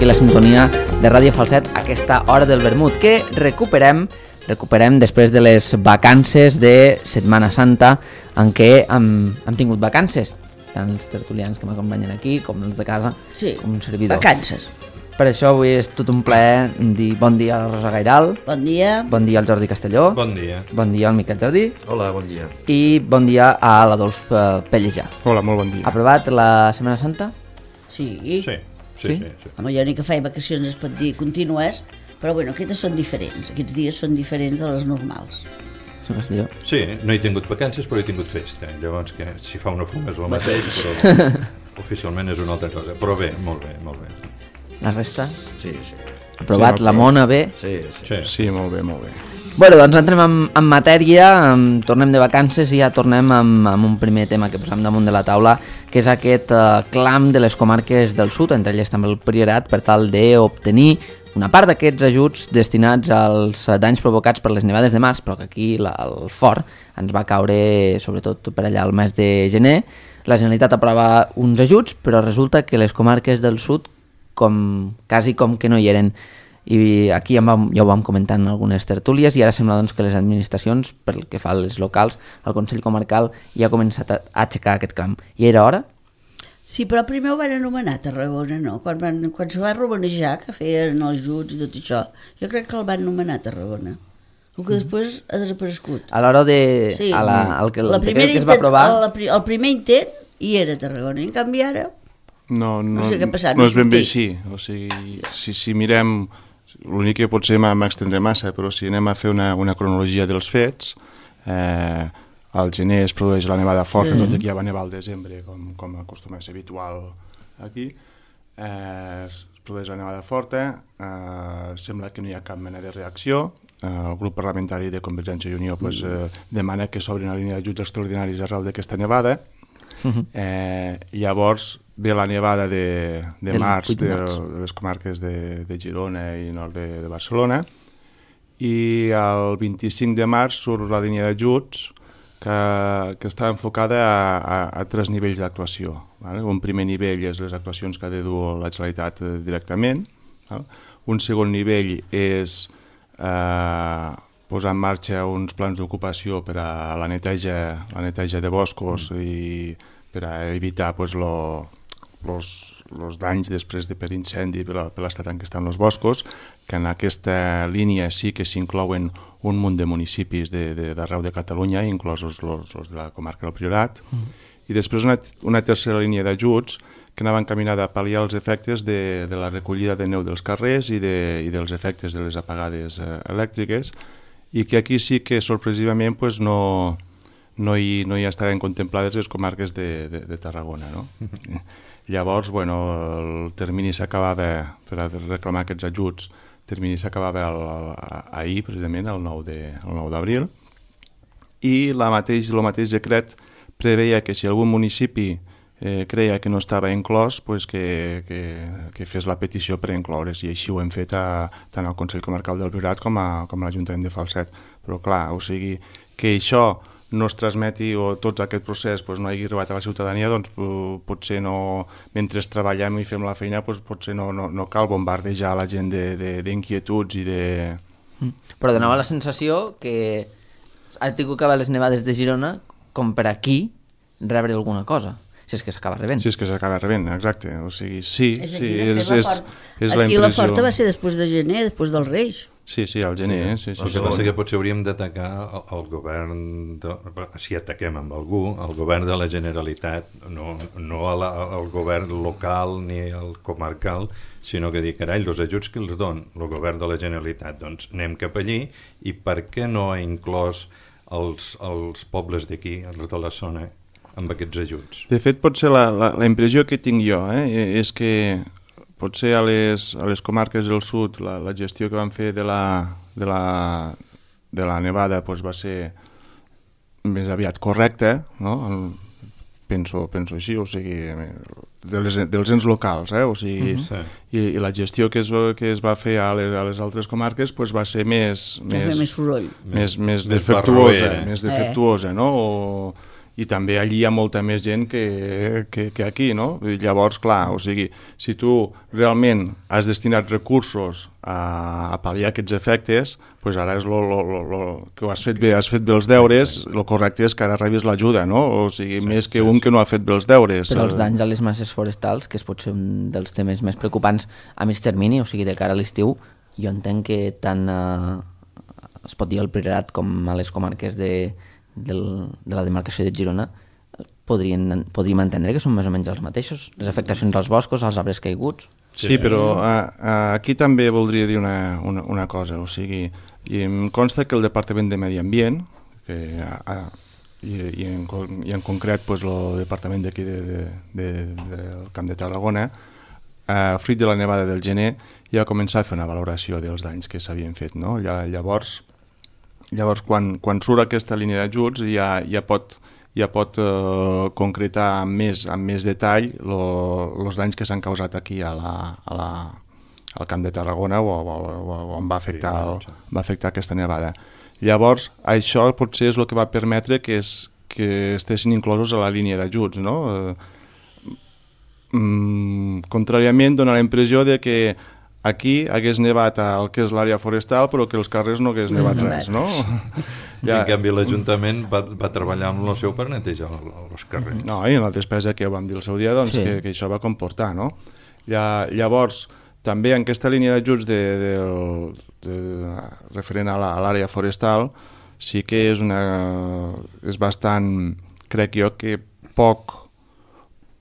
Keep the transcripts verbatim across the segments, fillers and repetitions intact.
aquí la sintonia de Ràdio Falset, aquesta hora del vermut, que recuperem recuperem després de les vacances de Setmana Santa, en què hem, hem tingut vacances, tant els tertulians que m'acompanyen aquí, com els de casa, sí, com un servidor. Vacances. Per això avui és tot un plaer dir bon dia a la Rosa Gairal. Bon dia. Bon dia al Jordi Castelló. Bon dia. Bon dia al Miquel Jordi. Hola, bon dia. I bon dia a l'Adolf Pellejà. Hola, molt bon dia. Aprovat la Setmana Santa? Sí. Sí, sí, sí. sí, sí. Home, jo ni que faig vacacions es pot dir contínues, però bueno, aquestes són diferents. Aquests dies són diferents de les normals. Sí, no he tingut vacances però he tingut festa. Llavors, que si fa una fuma és el mateix, però oficialment és una altra cosa. Però bé, molt bé, molt bé. La resta? Sí, sí. Aprovat, sí, la Mona, bé? Sí, sí. Sí, sí molt bé, molt bé. Bueno, doncs entrem en, en matèria, en, tornem de vacances i ja tornem amb, amb un primer tema que posem damunt de la taula, que és aquest uh, clam de les comarques del sud, entre elles també el Priorat, per tal d'obtenir una part d'aquests ajuts destinats als danys provocats per les nevades de març, però que aquí la, el fort ens va caure sobretot per allà al mes de gener. La Generalitat aprova uns ajuts, però resulta que les comarques del sud com, quasi com que no hi eren. I aquí ja, vam, ja ho vam comentar en algunes tertúlies i ara sembla doncs, que les administracions, pel que fa als locals, el Consell Comarcal ja ha començat a, a aixecar aquest clam. I era hora? Sí, però primer ho van anomenar Tarragona, no? Quan, van, quan se va romanejar, que feien els ajuts i tot això, jo crec que el van anomenar Tarragona. El que després ha desaparegut. A l'hora de... Sí, a la, el que, el la que es va aprovar... El, el primer intent hi era Tarragona, i en canvi ara... No, no, no sé què ha passat. No, no és ben bé així. O sigui, si, si mirem... L'únic que potser m'extendré massa, però si anem a fer una, una cronologia dels fets, eh, al gener es produeix la nevada forta, mm. tot i que ja va nevar al desembre, com, com acostuma a ser habitual aquí. Eh, es produeix la nevada forta, eh, sembla que no hi ha cap mena de reacció. Eh, el grup parlamentari de Convergència i Unió pues, eh, demana que s'obri una línia d'ajuts extraordinaris arrel d'aquesta nevada. Eh, llavors ve la nevada de, de març de, de les comarques de, de Girona i nord de, de Barcelona, i el vint-i-cinc de març surt la línia d'ajuts que, que està enfocada a, a, a tres nivells d'actuació. Vale? Un primer nivell és les actuacions que ha de dur la Generalitat directament. Vale? Un segon nivell és eh, posar en marxa uns plans d'ocupació per a la neteja, la neteja de boscos mm. i per a evitar pues, lo, los, los danys després de per incendi per, la, per l'estat en què estan els boscos, que en aquesta línia sí que s'inclouen un munt de municipis d'arreu de, de Catalunya, inclosos els de la comarca del Priorat, mm. i després una, una tercera línia d'ajuts que anava encaminada a pal·liar els efectes de, de la recollida de neu dels carrers i, de, i dels efectes de les apagades eh, elèctriques, i que aquí sí que sorpresivament pues, no, no, hi, no hi estaven contemplades les comarques de, de, de Tarragona. No? Mm-hmm. Llavors, bueno, el termini s'acabava, per a reclamar aquests ajuts, el termini s'acabava ahir, precisament, el nou d'abril, i la mateix, el mateix decret preveia que si algun municipi eh, creia que no estava inclòs, pues que, que, que fes la petició per incloure's, i així ho hem fet a, tant al Consell Comarcal del Priorat com a, com a l'Ajuntament de Falset. Però clar, o sigui, que això no es transmeti o tot aquest procés pues, no hagi arribat a la ciutadania, doncs potser no, mentre treballem i fem la feina, pues, potser no, no, no cal bombardejar la gent d'inquietuds i de... Però donava la sensació que ha tingut que haver les nevades de Girona com per aquí rebre alguna cosa. Si és que s'acaba rebent. Si és que s'acaba rebent, exacte. O sigui, sí, és sí, és, és, és la aquí la forta va ser després de gener, després dels Reis. Sí, sí, al gener. Sí, sí, el que passa que potser hauríem d'atacar el, el govern, de, si ataquem amb algú, el govern de la Generalitat, no, no la, el govern local ni el comarcal, sinó que dir, carai, els ajuts que els don el govern de la Generalitat, doncs anem cap allí, i per què no ha inclòs els, els pobles d'aquí, els de la zona, amb aquests ajuts? De fet, potser la, la, la impressió que tinc jo eh, és que potser a les, a les comarques del sud la, la gestió que van fer de la, de la, de la nevada pues, va ser més aviat correcta, no? penso, penso així, o sigui, de les, dels ens locals, eh? O sigui, uh-huh. i, i la gestió que es, que es va fer a les, a les altres comarques pues, va ser més, més, més soroll, més, més, més defectuosa, més defectuosa, eh. no? O, i també allí hi ha molta més gent que, que, que aquí, no? I llavors, clar, o sigui, si tu realment has destinat recursos a, a pal·liar aquests efectes, doncs ara és lo, lo, lo, lo, que ho has fet bé, has fet bé els deures, el correcte és que ara rebis l'ajuda, no? O sigui, sí, més que sí, un que no ha fet bé els deures. Però els danys a les masses forestals, que és potser un dels temes més preocupants a mig termini, o sigui, de cara a l'estiu, jo entenc que tant eh, es pot dir al Priorat com a les comarques de Del, de la demarcació de Girona podrien, podríem entendre que són més o menys els mateixos, les afectacions als boscos, als arbres caiguts. Sí, sí, però a, a, aquí també voldria dir una, una, una cosa, o sigui, i em consta que el Departament de Medi Ambient, que a, a, i, i, en, i en concret pues, el Departament d'aquí de, de, de, del Camp de Tarragona, a, fruit de la nevada del gener, ja va començar a fer una valoració dels danys que s'havien fet, no? Llavors, Llavors, quan, quan surt aquesta línia d'ajuts ja, ja pot, ja pot eh, concretar amb més, amb més detall els danys que s'han causat aquí a la, a la, al Camp de Tarragona o, o, o, o on va afectar, el, va afectar aquesta nevada. Llavors, això potser és el que va permetre que, es, que estessin inclosos a la línia d'ajuts, no? Eh, mm, contràriament, dona la impressió de que aquí hagués nevat el que és l'àrea forestal, però que els carrers no hagués nevat res, no? Ja. En canvi, l'Ajuntament va, va treballar amb el seu per netejar els carrers. No, i en la despesa que vam dir el seu dia, doncs, sí. que, que això va comportar, no? Llavors, també en aquesta línia d'ajuts de, de, de, referent a l'àrea forestal, sí que és, una, és bastant, crec jo, que poc,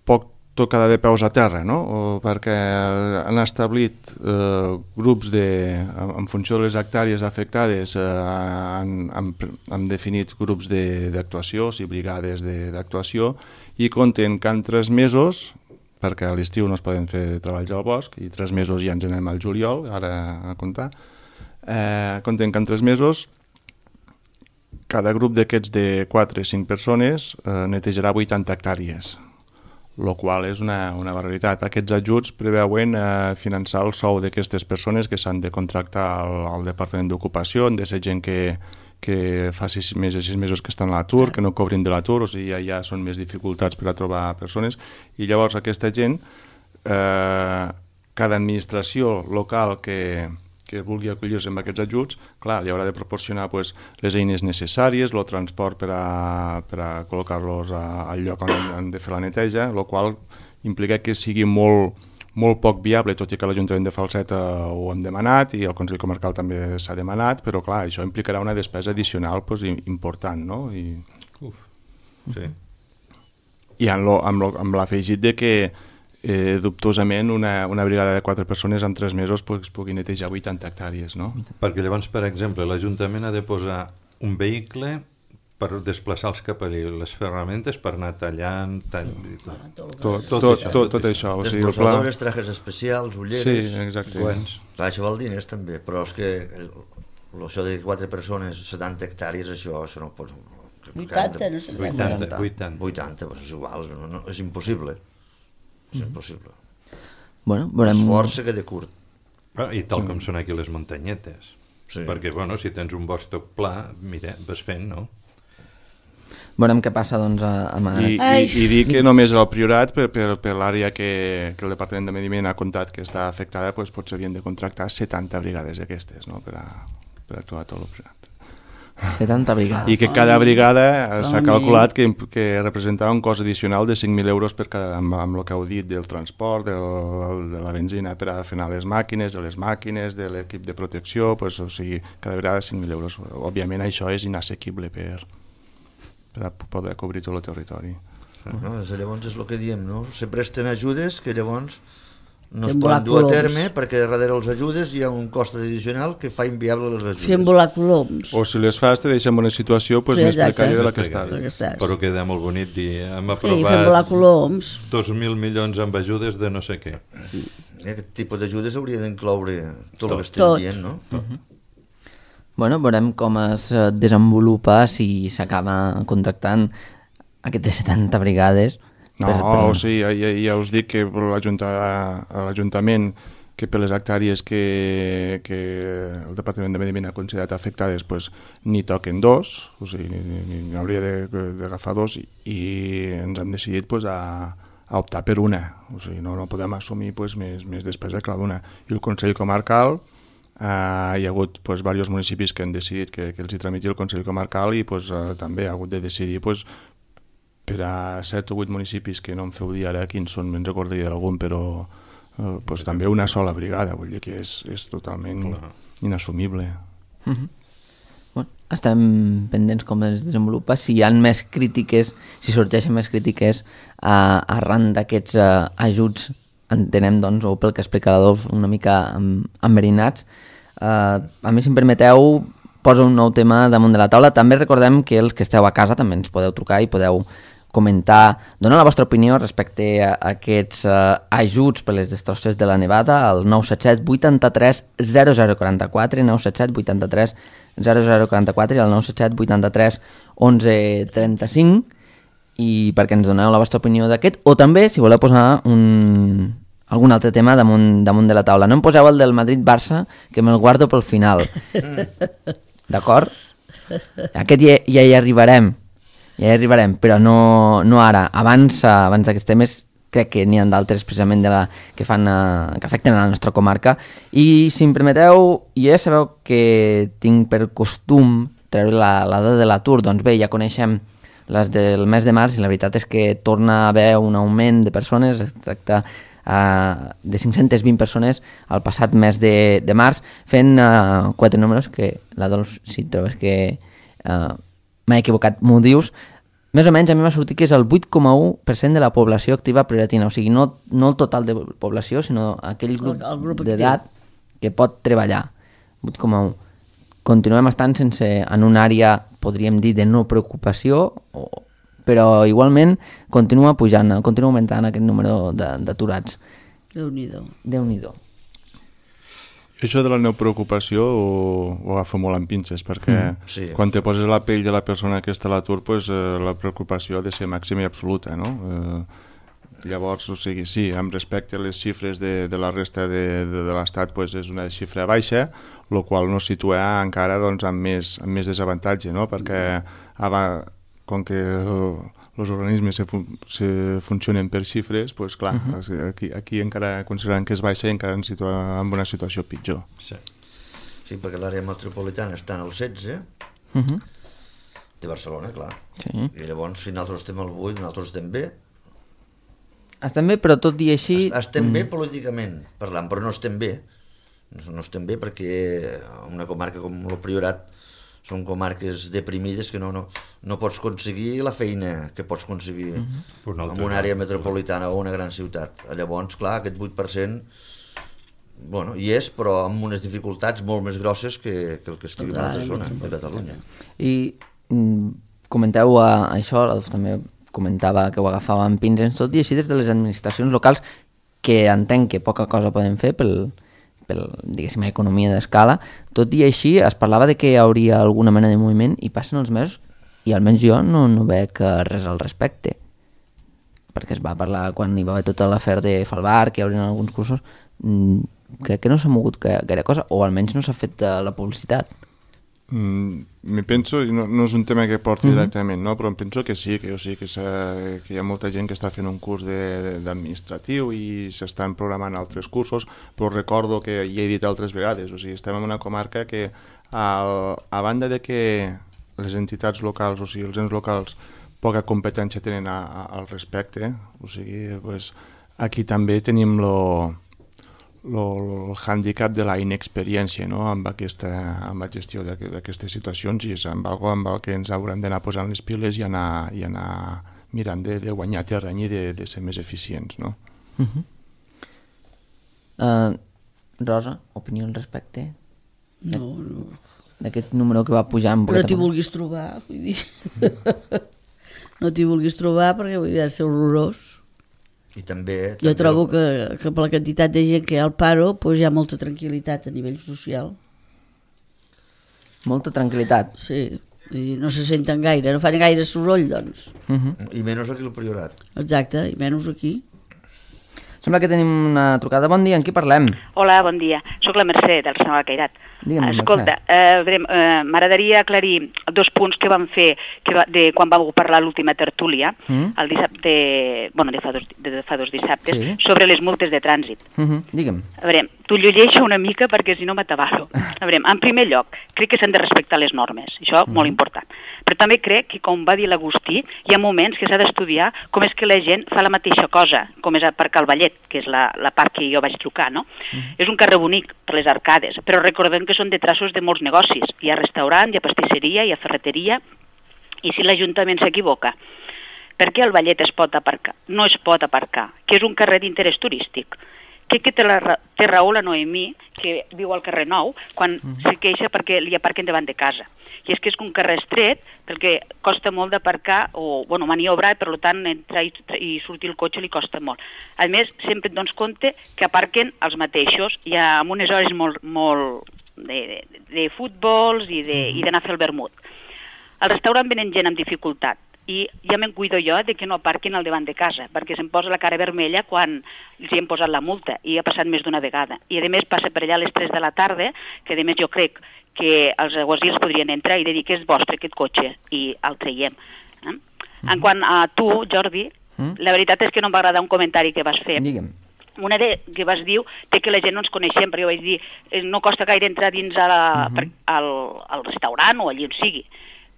poc tocada de peus a terra, no? O perquè han establit eh, grups de, en, en funció de les hectàrees afectades, eh, han, han, han definit grups d'actuació, o sigui, brigades d'actuació, i compten que en tres mesos, perquè a l'estiu no es poden fer treballs al bosc, i tres mesos ja ens anem al juliol, ara a comptar, eh, compten que en tres mesos cada grup d'aquests de quatre o cinc persones eh, netejarà vuitanta hectàrees, el qual és una, una barbaritat. Aquests ajuts preveuen eh, finançar el sou d'aquestes persones que s'han de contractar al, al Departament d'Ocupació, han de ser gent que, que fa sis, més de sis mesos que estan a l'atur, que no cobrin de l'atur, o sigui, ja, ja són més dificultats per a trobar persones, i llavors aquesta gent, eh, cada administració local que, que vulgui acollir-se amb aquests ajuts, clar, li haurà de proporcionar pues, les eines necessàries, el transport per a, per a col·locar-los al lloc on han de fer la neteja, el qual implica que sigui molt, molt poc viable, tot i que l'Ajuntament de Falset ho hem demanat i el Consell Comarcal també s'ha demanat, però clar, això implicarà una despesa addicional pues, important, no? I, Uf, sí. I amb, lo, amb, lo, amb l'afegit de que Eh, dubtosament una, una brigada de quatre persones en tres mesos pues, pugui netejar vuitanta hectàrees, no? Perquè llavors, per exemple, l'Ajuntament ha de posar un vehicle per desplaçar els capellers, les ferramentes per anar tallant, tall... tot, tot, tot, tot, això, tot, tot això. O sigui, desbrossadores, trajes especials, ulleres... Sí, exacte. Guants. Clar, això val diners també, però és que el, això de quatre persones, setanta hectàrees, això, això no pot... vuitanta, no sé. vuitanta, vuitanta. vuitanta, doncs és igual, no, no, és impossible. És impossible. Bueno, veurem... Esforç se queda curt. Ah, I tal com són aquí les muntanyetes. Sí. Perquè, bueno, si tens un bosc tot pla, mira, vas fent, no? Veurem què passa, doncs, a, a... I, i, i dir que només el Priorat, per, per, per l'àrea que, que el Departament de Medi Ambient ha comptat que està afectada, doncs potser havien de contractar setanta brigades d'aquestes, no?, per, a, per actuar a tot el Priorat. setanta brigades. I que cada brigada s'ha calculat que, que representava un cost addicional de cinc mil euros per cada, amb, amb el que heu dit del transport, del, de la benzina per a fer anar les màquines, de les màquines, de l'equip de protecció, pues, o sigui, cada vegada cinc mil euros. Òbviament això és inassequible per, per a poder cobrir tot el territori. No, llavors és el que diem, no? Se presten ajudes que llavors no Fem es poden dur a coloms. terme perquè darrere els ajudes hi ha un cost addicional que fa inviable les ajudes. Fem volar coloms. O si les fas te deixem en una situació pues, Sí, més exacte. precària de la que està. La que estàs. Però queda molt bonic dir, hem Sí, fem volar aprovat coloms. dos mil milions amb ajudes de no sé què. Aquest tipus d'ajudes hauria d'incloure tot, Tot. el que estem Tot. dient, no? Bueno, veurem com es eh, desenvolupa si s'acaba contractant aquestes setanta brigades. No, per, per... o sigui, ja, ja, ja us dic que l'Ajuntament que per les hectàrees que, que el Departament de Medi Ambient ha considerat afectades pues, ni toquen dos, o sigui, ni, ni, ni hauria d'agafar dos, i, i ens hem decidit pues, a, a optar per una, o sigui, no, no podem assumir pues, més, més despesa que la d'una. I el Consell Comarcal, eh, hi ha hagut pues, diversos municipis que han decidit que, que els hi tramiti el Consell Comarcal i pues, eh, també ha hagut de decidir pues, per a set o vuit municipis que no em feu dir ara quins són, me'n recordaria d'algun, però Uh, pues també una sola brigada, vull dir que és, és totalment Clar. inassumible. Uh-huh. Bueno, estarem pendents com es desenvolupa. Si hi ha més crítiques, si sorgeixen més crítiques uh, arran d'aquests uh, ajuts, entenem, doncs, o pel que explica l'Adolf, una mica um, enverinats. Uh, a mi, si em permeteu, poso un nou tema damunt de la taula. També recordem que els que esteu a casa també ens podeu trucar i podeu comentar, donar la vostra opinió respecte a aquests uh, ajuts per les destrosses de la nevada al nou set set vuitanta-tres zero zero quaranta-quatre, nou set set vuitanta-tres zero zero quaranta-quatre i al nou set set vuitanta-tres onze trenta-cinc, i perquè ens doneu la vostra opinió d'aquest, o també si voleu posar un, algun altre tema damunt, damunt de la taula. No em poseu el del Madrid-Barça, que me'l guardo pel final. D'acord? Aquest ja, ja hi arribarem. Ja hi arribarem, però no, no ara. Abans, abans d'aquests temes, crec que n'hi ha d'altres precisament de la, que, fan, uh, que afecten a la nostra comarca. I si em permeteu, ja sabeu que tinc per costum treure la, la dada de l'atur. Doncs bé, ja coneixem les del mes de març i la veritat és que torna a haver un augment de persones, es tracta uh, de cinc-centes vint persones al passat mes de, de març, fent uh, quatre números que l'Adolf, si trobes que... Uh, m'he equivocat, m'ho dius, més o menys a mi m'ha sortit que és el vuit coma u per cent de la població activa prioratina, o sigui, no, no el total de població, sinó aquell grup, grup d'edat que pot treballar, vuit coma u. Continuem estant sense, en una àrea, podríem dir, de no preocupació, o, però igualment continua pujant, continua augmentant aquest número d'aturats. Déu-n'hi-do. Déu-n'hi-do. Això de la no preocupació ho, ho agafo molt amb pinces, perquè mm, sí. quan te poses la pell de la persona que està a l'atur, pues, eh, la preocupació ha de ser màxima i absoluta, no? Eh, llavors, o sigui, sí, amb respecte a les xifres de, de la resta de, de, de l'Estat, pues, és una xifra baixa, el qual no situa encara doncs, amb, més, amb més desavantatge, no? Perquè ava, com que els organismes se, fun se funcionen per xifres, pues, clar, uh -huh. aquí, aquí encara considerant que és baixa i encara ens situa en una situació pitjor. Sí, sí perquè l'àrea metropolitana està en el setze, uh -huh. de Barcelona, clar. Sí. I llavors, si nosaltres estem al vuit, nosaltres estem bé. Estem bé, però tot i així... Estem mm. bé políticament parlant, però no estem bé. No, no estem bé perquè una comarca com el Priorat són comarques deprimides que no, no, no pots aconseguir la feina que pots aconseguir uh -huh. en una àrea metropolitana o una gran ciutat. Llavors, clar, aquest vuit per cent bueno, hi és, però amb unes dificultats molt més grosses que, que el que estigui en una altra zona de Catalunya. I mm, comenteu uh, això, l'Adolf també comentava que ho agafava amb pinces, tot i així des de les administracions locals, que entenc que poca cosa poden fer pel... per, diguéssim, economia d'escala, tot i així es parlava de que hi hauria alguna mena de moviment i passen els mesos i almenys jo no, no veig res al respecte, perquè es va parlar quan hi va haver tota l'afer de Falbar, que hi haurien alguns cursos, mm, crec que no s'ha mogut gaire cosa, o almenys no s'ha fet la publicitat. Mm, me penso, i no, no és un tema que porti uh-huh. directament, no? Però em penso que sí, que, o sigui, que, que hi ha molta gent que està fent un curs d'administratiu i s'estan programant altres cursos, però recordo que hi he dit altres vegades, o sigui, estem en una comarca que a, a banda de que les entitats locals, o sigui, els ens locals, poca competència tenen a, a, al respecte, o sigui, pues, aquí també tenim lo el hàndicap de la inexperiència, no? amb, aquesta, amb la gestió d'aquestes situacions, i és amb algo amb el que ens haurem d'anar posant les piles i anar, i anar mirant de, de guanyar terreny i de, de ser més eficients. No? Uh-huh. uh, Rosa, opinió al respecte? No, no. D'aquest número que va pujar... Però no t'hi vulguis trobar, vull dir. No t'hi vulguis trobar perquè vull dir, ha de ser horrorós. I també, jo també... trobo que, que per la quantitat de gent que hi ha al paro pues hi ha molta tranquil·litat a nivell social. Molta tranquil·litat? Sí, i no se senten gaire, no fan gaire soroll, doncs. Uh-huh. I menys aquí al Priorat. Exacte, i menys aquí. Sembla que tenim una trucada. Bon dia, amb qui parlem? Hola, bon dia. Soc la Mercè, del Senyor Cairat. Digue'm, Escolta, eh, eh, m'agradaria aclarir dos punts que vam fer que va, de quan vam parlar l'última tertúlia, Mm. el dissabte, bueno, de fa dos, de fa dos dissabtes, Sí. sobre les multes de trànsit. Uh -huh. Digue'm. A veure, t'ho llegeixo una mica perquè si no m'atabalo. A veure, en primer lloc, crec que s'han de respectar les normes, això molt important. Però també crec que, com va dir l'Agustí, hi ha moments que s'ha d'estudiar com és que la gent fa la mateixa cosa, com és aparcar el ballet, que és la, la part que jo vaig trucar, no? És un carrer bonic per les arcades, però recordem que són de traços de molts negocis. Hi ha restaurant, hi ha pastisseria, hi ha ferreteria, i si l'Ajuntament s'equivoca, per què el ballet es pot aparcar? No es pot aparcar, que és un carrer d'interès turístic. Crec que té, la, té raó la Noemí, que viu al carrer Nou, quan mm. se queixa perquè li aparquen davant de casa. I és que és un carrer estret, perquè costa molt d'aparcar, o bueno, maniobrar, i per tant entrar i, i sortir el cotxe li costa molt. A més, sempre et dones compte que aparquen els mateixos, i amb unes hores molt, molt de, de, de futbols i d'anar a fer el vermut. Al restaurant venen gent amb dificultat, i ja me'n cuido jo de que no aparquin al davant de casa, perquè se'm posa la cara vermella quan els hi hem posat la multa, i ha passat més d'una vegada. I a més passa per allà a les tres de la tarda, que a més jo crec que els aguasils podrien entrar i dir que és vostre aquest cotxe, i el traiem. Eh? Mm-hmm. En quant a tu, Jordi, mm? la veritat és que no em va agradar un comentari que vas fer. Digue'm. Una de, que vas dir de que la gent no ens coneixem, perquè jo vaig dir eh, no costa gaire entrar dins a la, mm-hmm. per, al, al restaurant o allí on sigui,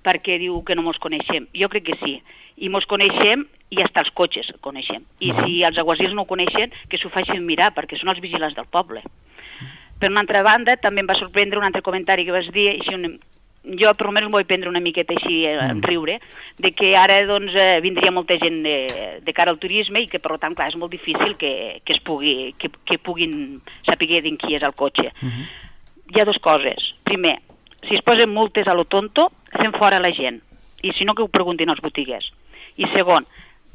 perquè diu que no mos coneixem. Jo crec que sí. I mos coneixem i hasta els cotxes coneixem. I si els aguasils no ho coneixen, que s'ho facin mirar, perquè són els vigilants del poble. Per una altra banda, també em va sorprendre un altre comentari que vas dir, així un, jo per almenys em vull prendre una miqueta així en riure, de que ara doncs, eh, vindria molta gent de, de cara al turisme i que per tant, clar, és molt difícil que, que, es pugui, que, que puguin saber din qui és el cotxe. Uh-huh. Hi ha dues coses. Primer, si es posen multes a lo tonto, fem fora la gent. I si no, que ho preguntin als botiguers. I segon,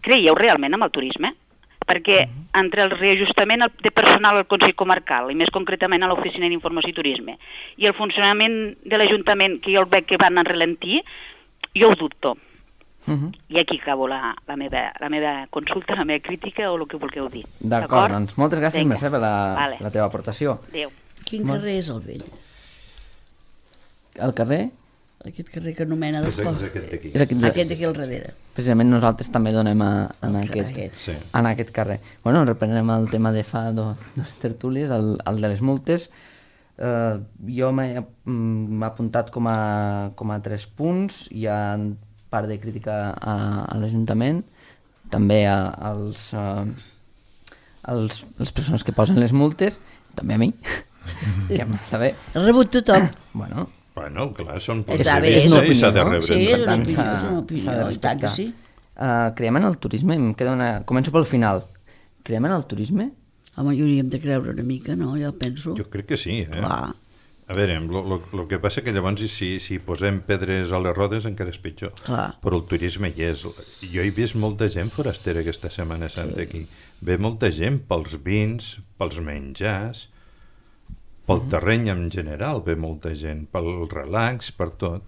creieu realment en el turisme? Perquè entre el reajustament de personal al Consell Comarcal, i més concretament a l'Oficina d'Informació i Turisme, i el funcionament de l'Ajuntament, que jo el veig que van a relentir, jo ho dubto. Uh-huh. I aquí acabo la, la, meva, la meva consulta, la meva crítica o el que vulgueu dir. D'acord, doncs moltes gràcies, Mercè, per la, vale. la teva aportació. Adéu. Quin Molt... carrer és el vell? El carrer? Aquest carrer que anomena de És, és aquest d'aquí. És aquest, de... Aquest d'aquí al darrere. Precisament nosaltres també donem a, en, El aquest, aquest. Sí. en aquest carrer. Bueno, reprenem el tema de fa do, dos tertúlies, el, el de les multes. Uh, jo m'he mm, apuntat com a, com a tres punts. Hi ha part de crítica a, a l'Ajuntament, també a, als, uh, als, les persones que posen les multes, també a mi, que m'està bé. Ha rebut tothom. Bueno, Bueno, clar, són Està bé, punts és de una vista i s'ha de opinió, no? rebre. Sí, en és una compte. opinió, és una opinió, s'ha de i tant que respectar. sí. Uh, creiem en el turisme, em queda una... Començo pel final. Creiem en el turisme? Home, hi hauríem de creure una mica, no? Jo penso. Jo crec que sí, eh? Clar. A veure, el que passa que llavors si, si posem pedres a les rodes encara és pitjor. Clar. Però el turisme hi és. Jo he vist molta gent forastera aquesta Setmana Santa sí. aquí. Ve molta gent pels vins, pels menjars, pel uh-huh. terreny en general, ve molta gent, pel relax, per tot.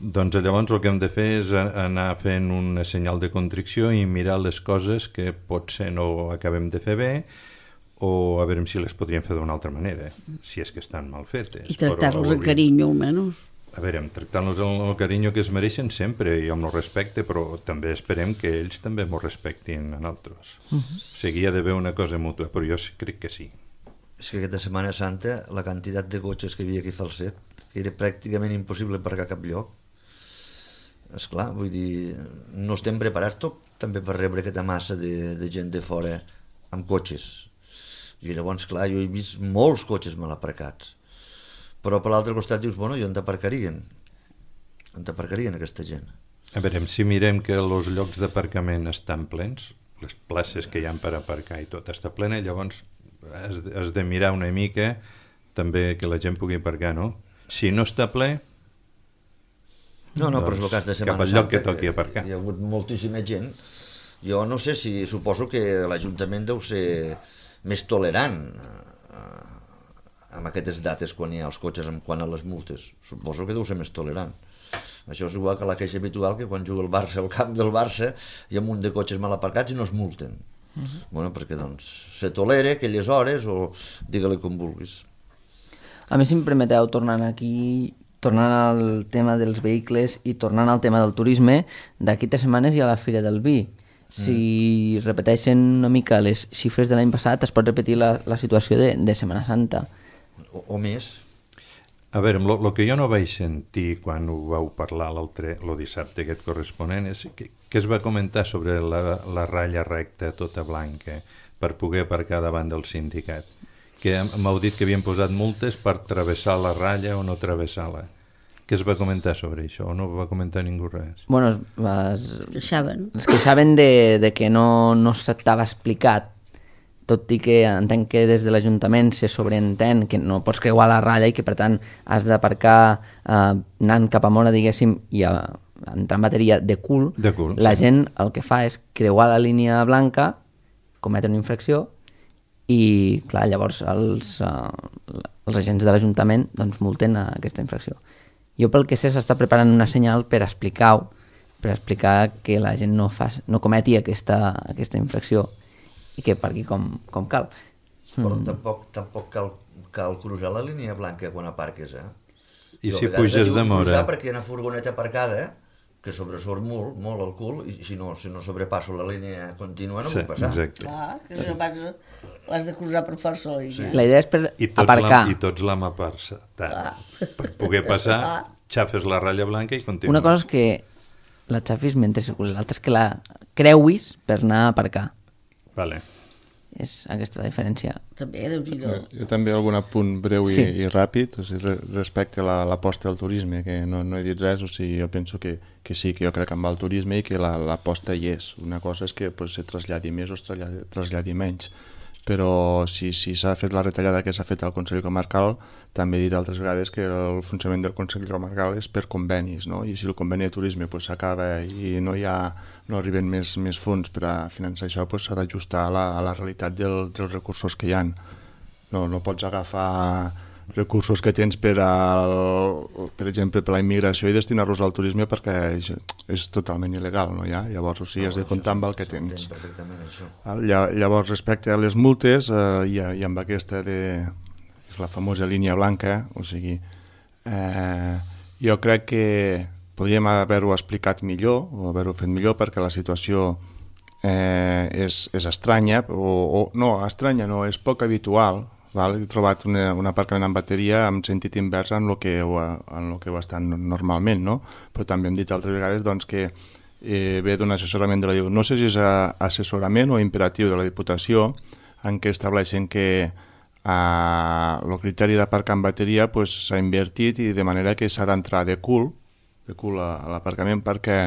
Doncs llavors el que hem de fer és anar fent un senyal de contricció i mirar les coses que potser no acabem de fer bé, o a veure si les podríem fer d'una altra manera, si és que estan mal fetes. I tractar-los amb carinyo, almenys. A veure, tractar-los amb el carinyo que es mereixen sempre i amb el respecte, però també esperem que ells també m'ho respectin a nosaltres. Uh-huh. O sigui, hi ha d'haver una cosa mútua, però jo crec que sí. És que aquesta Setmana Santa la quantitat de cotxes que hi havia aquí a Falset, que era pràcticament impossible aparcar a cap lloc. Esclar, vull dir, no estem preparats tot també per rebre aquesta massa de, de gent de fora amb cotxes. I llavors, clar, jo he vist molts cotxes mal aparcats. Però per l'altre costat dius, bueno, i on t'aparcarien? On t'aparcarien aquesta gent? A veure, si mirem que els llocs d'aparcament estan plens, les places que hi ha per aparcar i tot està plena, llavors has, has de mirar una mica també que la gent pugui aparcar, no? Si no està ple, no, no, doncs, però és el cas de Setmana cap al lloc Santa, que toqui aparcar. Hi ha hagut moltíssima gent. Jo no sé si, suposo que l'Ajuntament deu ser més tolerant eh, amb aquestes dates quan hi ha els cotxes, amb quan a les multes. Suposo que deu ser més tolerant. Això és igual que la queixa habitual, que quan juga el Barça al camp del Barça hi ha un munt de cotxes mal aparcats i no es multen. Uh-huh. Bueno, perquè doncs se tolera aquelles hores o digue-li com vulguis. A més, si em permeteu, tornant aquí, tornant al tema dels vehicles i tornant al tema del turisme, d'aquí tres setmanes hi ha la Fira del Vi. Si mm. repeteixen una mica les xifres de l'any passat, es pot repetir la, la situació de, de Setmana Santa. O, o més. A veure, el que jo no vaig sentir quan ho vau parlar l'altre, el dissabte aquest corresponent, és que, que es va comentar sobre la, la ratlla recta tota blanca per poder aparcar davant del sindicat. Que m'heu dit que havien posat multes per travessar la ratlla o no travessar-la. Què es va comentar sobre això? O no va comentar ningú res? Bueno, es, es, es queixaven. Es queixaven de, de que no, no s'estava explicat, tot i que entenc que des de l'Ajuntament se sobreentén que no pots creuar la ratlla i que per tant has d'aparcar eh, anant cap a Mora, diguéssim, i a, entrar en bateria de cul. De cul, la sí. gent el que fa és creuar la línia blanca, cometre una infracció i, clar, llavors els, uh, els agents de l'Ajuntament doncs, multen a aquesta infracció. Jo pel que sé s'està preparant una senyal per explicar-ho, per explicar que la gent no, fa, no cometi aquesta, aquesta infracció i que parqui com, com cal. Però Mm. tampoc, tampoc cal, cal cruzar la línia blanca quan aparques, eh? I Jo si a vegades puges diu de Mora? cruzar perquè hi ha una furgoneta aparcada, eh? Que sobresurt molt, molt el cul, i si no, si no sobrepasso la línia contínua no Sí, puc passar. exacte. Clar, que si no vas, l'has de cruzar per força la línia. La idea és per I tots aparcar. l'hem- I tots l'hem aparçat. Per poder passar, xafes la ratlla blanca i continues. Una cosa és que la xafis mentre circuli, l'altra és que la creuis per anar a aparcar. Vale. És aquesta la diferència. També, Déu-n'hi-do. Jo també algun apunt breu i, Sí. i ràpid, o sigui, re- respecte a la- l'aposta al turisme, que no, no he dit res, o sigui, jo penso que, que sí, que jo crec que amb el turisme i que la- l'aposta hi és. Una cosa és que pues, se traslladi més o es traslladi, traslladi menys, però si si s'ha fet la retallada que s'ha fet al Consell Comarcal, també he dit altres vegades que el funcionament del Consell Comarcal és per convenis, no? I si el conveni de turisme pues, s'acaba i no hi ha, no arriben més, més fons per a finançar això, pues, s'ha d'ajustar a, la, a la realitat del, dels recursos que hi ha. No, no pots agafar recursos que tens per, al, per exemple, per la immigració i destinar-los al turisme perquè és, és totalment il·legal, no hi ha? Llavors, o sigui, has de comptar amb el que tens. Perfectament, això. Lla- Llavors, respecte a les multes, eh, i, i amb aquesta de la famosa línia blanca, o sigui, eh, jo crec que podríem haver-ho explicat millor, o haver-ho fet millor, perquè la situació eh, és, és estranya, o, o no, estranya no, és poc habitual. Val? He trobat una, un aparcament amb bateria amb sentit invers en el que ho, en lo que ho estan normalment, no? Però també hem dit altres vegades doncs, que eh, ve d'un assessorament de la Diputació, no sé si és a, assessorament o imperatiu de la Diputació, en què estableixen que el criteri d'aparcar amb bateria s'ha pues, invertit i de manera que s'ha d'entrar de cul, de cul a, a l'aparcament perquè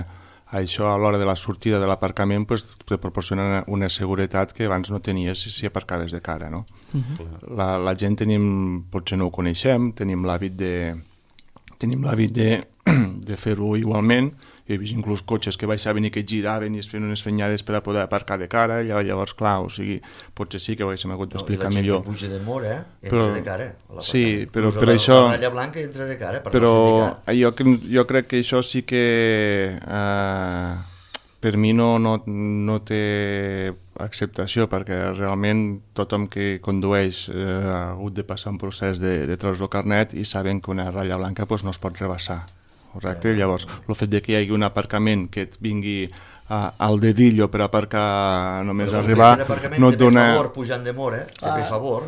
això a l'hora de la sortida de l'aparcament pues, te proporciona una seguretat que abans no tenies si, si aparcaves de cara, no? Uh-huh. La, la gent tenim, potser no ho coneixem, tenim l'hàbit de, tenim l'hàbit de, de fer-ho igualment. He vist inclús cotxes que baixaven i que giraven i es feien unes fenyades per a poder aparcar de cara, i llavors, clar, o sigui, potser sí que ho haguéssim hagut d'explicar no, millor. I la gent que puja de Mora, entra però, de cara. Sí, però Usa per la, això... La ratlla blanca entra de cara, per però no jo, jo crec que això sí que eh, per mi no, no, no té acceptació, perquè realment tothom que condueix eh, ha hagut de passar un procés de, de treure el carnet i saben que una ratlla blanca pues, no es pot rebassar. Correcte? Llavors, el fet de que hi hagi un aparcament que et vingui a, al dedillo per aparcar només però arribar, no et dona... Favor, pujant de Mora, te ve favor.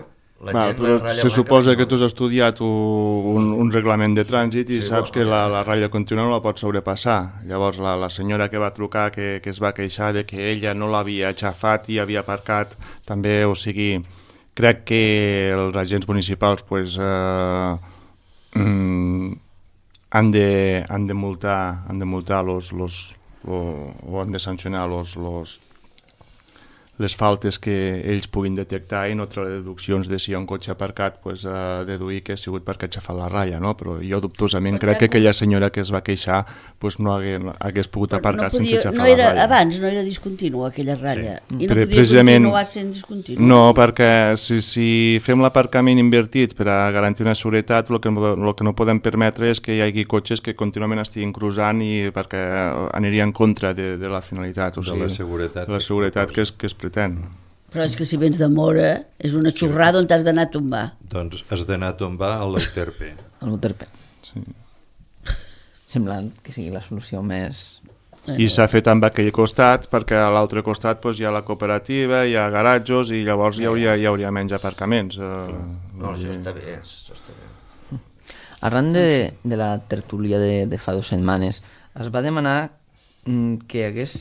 La Clar, gent, però la ratlla se blanca, suposa no. que tu has estudiat un, un reglament de trànsit i Sí, saps bueno, que la, ja. la ratlla contínua no la pots sobrepassar. Llavors la, la senyora que va trucar, que, que es va queixar de que ella no l'havia aixafat i havia aparcat, també, o sigui, crec que els agents municipals pues, eh, mm, han de, han de multar, han de multar los, los, o, o han de sancionar los, los, les faltes que ells puguin detectar i no treure deduccions de si hi ha un cotxe aparcat, pues, a deduir que ha sigut perquè ha aixafat la ratlla, no? Però jo dubtosament crec que aquella senyora que es va queixar pues, no hagués, hagués pogut aparcar no podia, sense aixafar no era, la ratlla. abans no era discontínua aquella ratlla, Sí. i no Pre- podia precisament- continuar sent discontínua. No, perquè si, si fem l'aparcament invertit per a garantir una seguretat, el que, el que no podem permetre és que hi hagi cotxes que contínuament estiguin cruzant i perquè aniria en contra de, de la finalitat. O De sigui, la seguretat de la que seguretat que es, proposa. que es pretén. Però és que si vens de Mora és una xorrada on t'has d'anar a tombar. Doncs has d'anar a tombar a l'Euterpe. A l'Euterpe. Sí. Semblant que sigui la solució més... I s'ha fet amb aquell costat perquè a l'altre costat doncs, hi ha la cooperativa, hi ha garatjos i llavors hi hauria, hi hauria menys aparcaments. Eh, No, això està bé, això està bé. Arran de, de la tertúlia de, de fa dues setmanes, es va demanar mm, que hi hagués,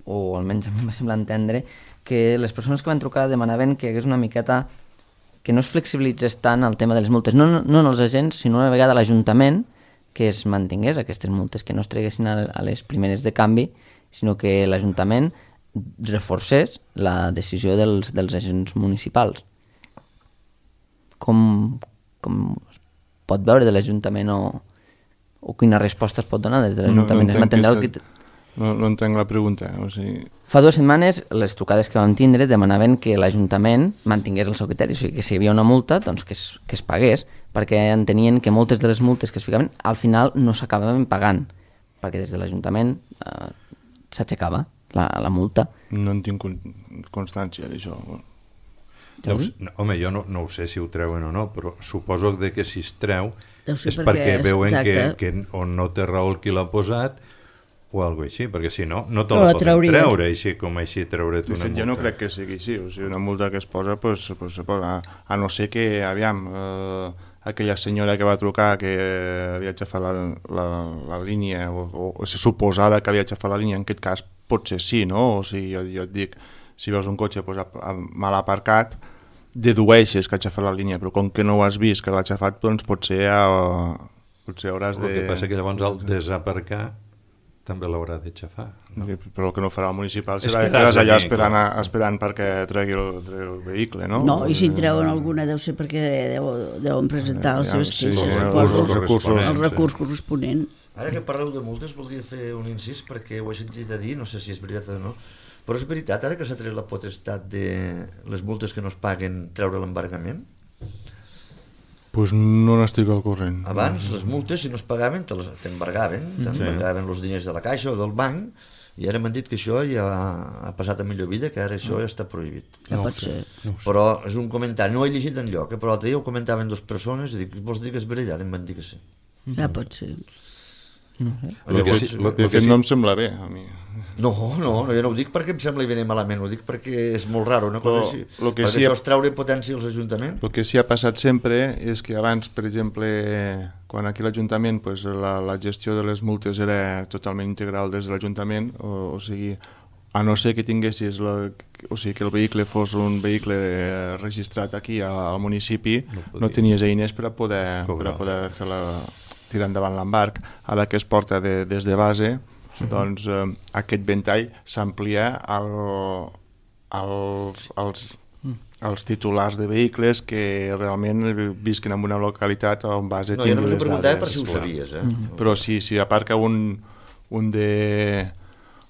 o almenys a mi m'ha semblat entendre, que les persones que van trucar demanaven que hi hagués una miqueta, que no es flexibilitzés tant el tema de les multes, no, no, no els agents, sinó una vegada l'Ajuntament, que es mantingués aquestes multes, que no es treguessin a, a les primeres de canvi, sinó que l'Ajuntament reforcés la decisió dels, dels agents municipals. Com, com es pot veure de l'Ajuntament o, o quina resposta es pot donar des de l'Ajuntament? No, no, entenc el aquesta... no, no entenc la pregunta. O sigui... Fa dues setmanes les trucades que vam tindre demanaven que l'Ajuntament mantingués el seu criteri, o sigui que si hi havia una multa doncs que es, que es pagués, perquè entenien que moltes de les multes que es ficaven al final no s'acabaven pagant, perquè des de l'Ajuntament eh, s'aixecava la, la multa. No en tinc constància d'això. No, no, home, jo no, no ho sé si ho treuen o no, però suposo de que si es treu és perquè, perquè veuen que, exacte. que o no té raó el qui l'ha posat o alguna així, perquè si no, no te No la la poden traurien. treure, així com així treure't De una fet, multa. jo no crec que sigui així. O sigui, una multa que es posa, pues, pues, se posa. A, a no ser que, aviam, eh, aquella senyora que va trucar que havia aixafat la, la, la línia, o, o, o se suposava que havia aixafat la línia, en aquest cas potser sí, no? O sigui, jo, jo et dic, si veus un cotxe pues, a, a, mal aparcat, dedueixes que ha aixafat la línia, però com que no ho has vist que l'ha aixafat, doncs potser, a, potser hauràs de... El que passa que llavors al desaparcar també l'haurà d'aixafar. No? Però el que no farà el municipal És serà que que quedes allà també, esperant, clar. a, esperant perquè tregui el, tregui el vehicle, no? No, i si en treuen alguna deu ser perquè deu, deuen presentar les Ja, seves sí, queixes, sí, suposo, els recursos. el recurs corresponent. Ara que parleu de multes, voldria fer un incís perquè ho he sentit a dir, no sé si és veritat o no, però és veritat, ara que s'ha tret la potestat de les multes que no es paguen, treure l'embargament? Pues no n'estic al corrent. Abans, les multes, si no es pagaven, te les- t'embargaven, t'embargaven els diners de la caixa o del banc, i ara m'han dit que això ja ha passat a millor vida, que ara això ja està prohibit. Ja pot ser. Però és un comentari, no ho he llegit enlloc, eh? Però l'altre dia ho comentaven dues persones i dic, vols dir que és veritat? Em van dir que sí. Ja pot ser. El que sí- el De que fet, sí- no em sembla bé, a mi. No, no, no, jo no ho dic perquè em sembla bé malament, ho dic perquè és molt raro una cosa Però així. lo que perquè sí això ha- és treure potència als ajuntaments. El que sí ha passat sempre és que abans, per exemple, quan aquí l'Ajuntament pues, la, la gestió de les multes era totalment integral des de l'Ajuntament, o, o sigui, a no ser que tinguessis la, o sigui, que el vehicle fos un vehicle eh, registrat aquí al, al municipi, No no, podia. no tenies eines per a poder, per Cobrar. a poder fer la, tirar endavant l'embarc. Ara que es porta de, des de base, doncs eh, aquest ventall s'amplia al, als, als, als titulars de vehicles que realment visquen en una localitat on base No, jo tingui només ho les preguntava dades. per si ho Clar. sabies, eh? Però si, si aparca un, un de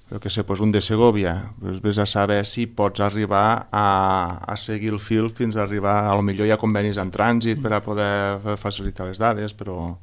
jo què sé, doncs un de Segovia, doncs vés a saber si pots arribar a, a seguir el fil fins a arribar, a lo millor hi ha convenis en trànsit per a poder facilitar les dades, però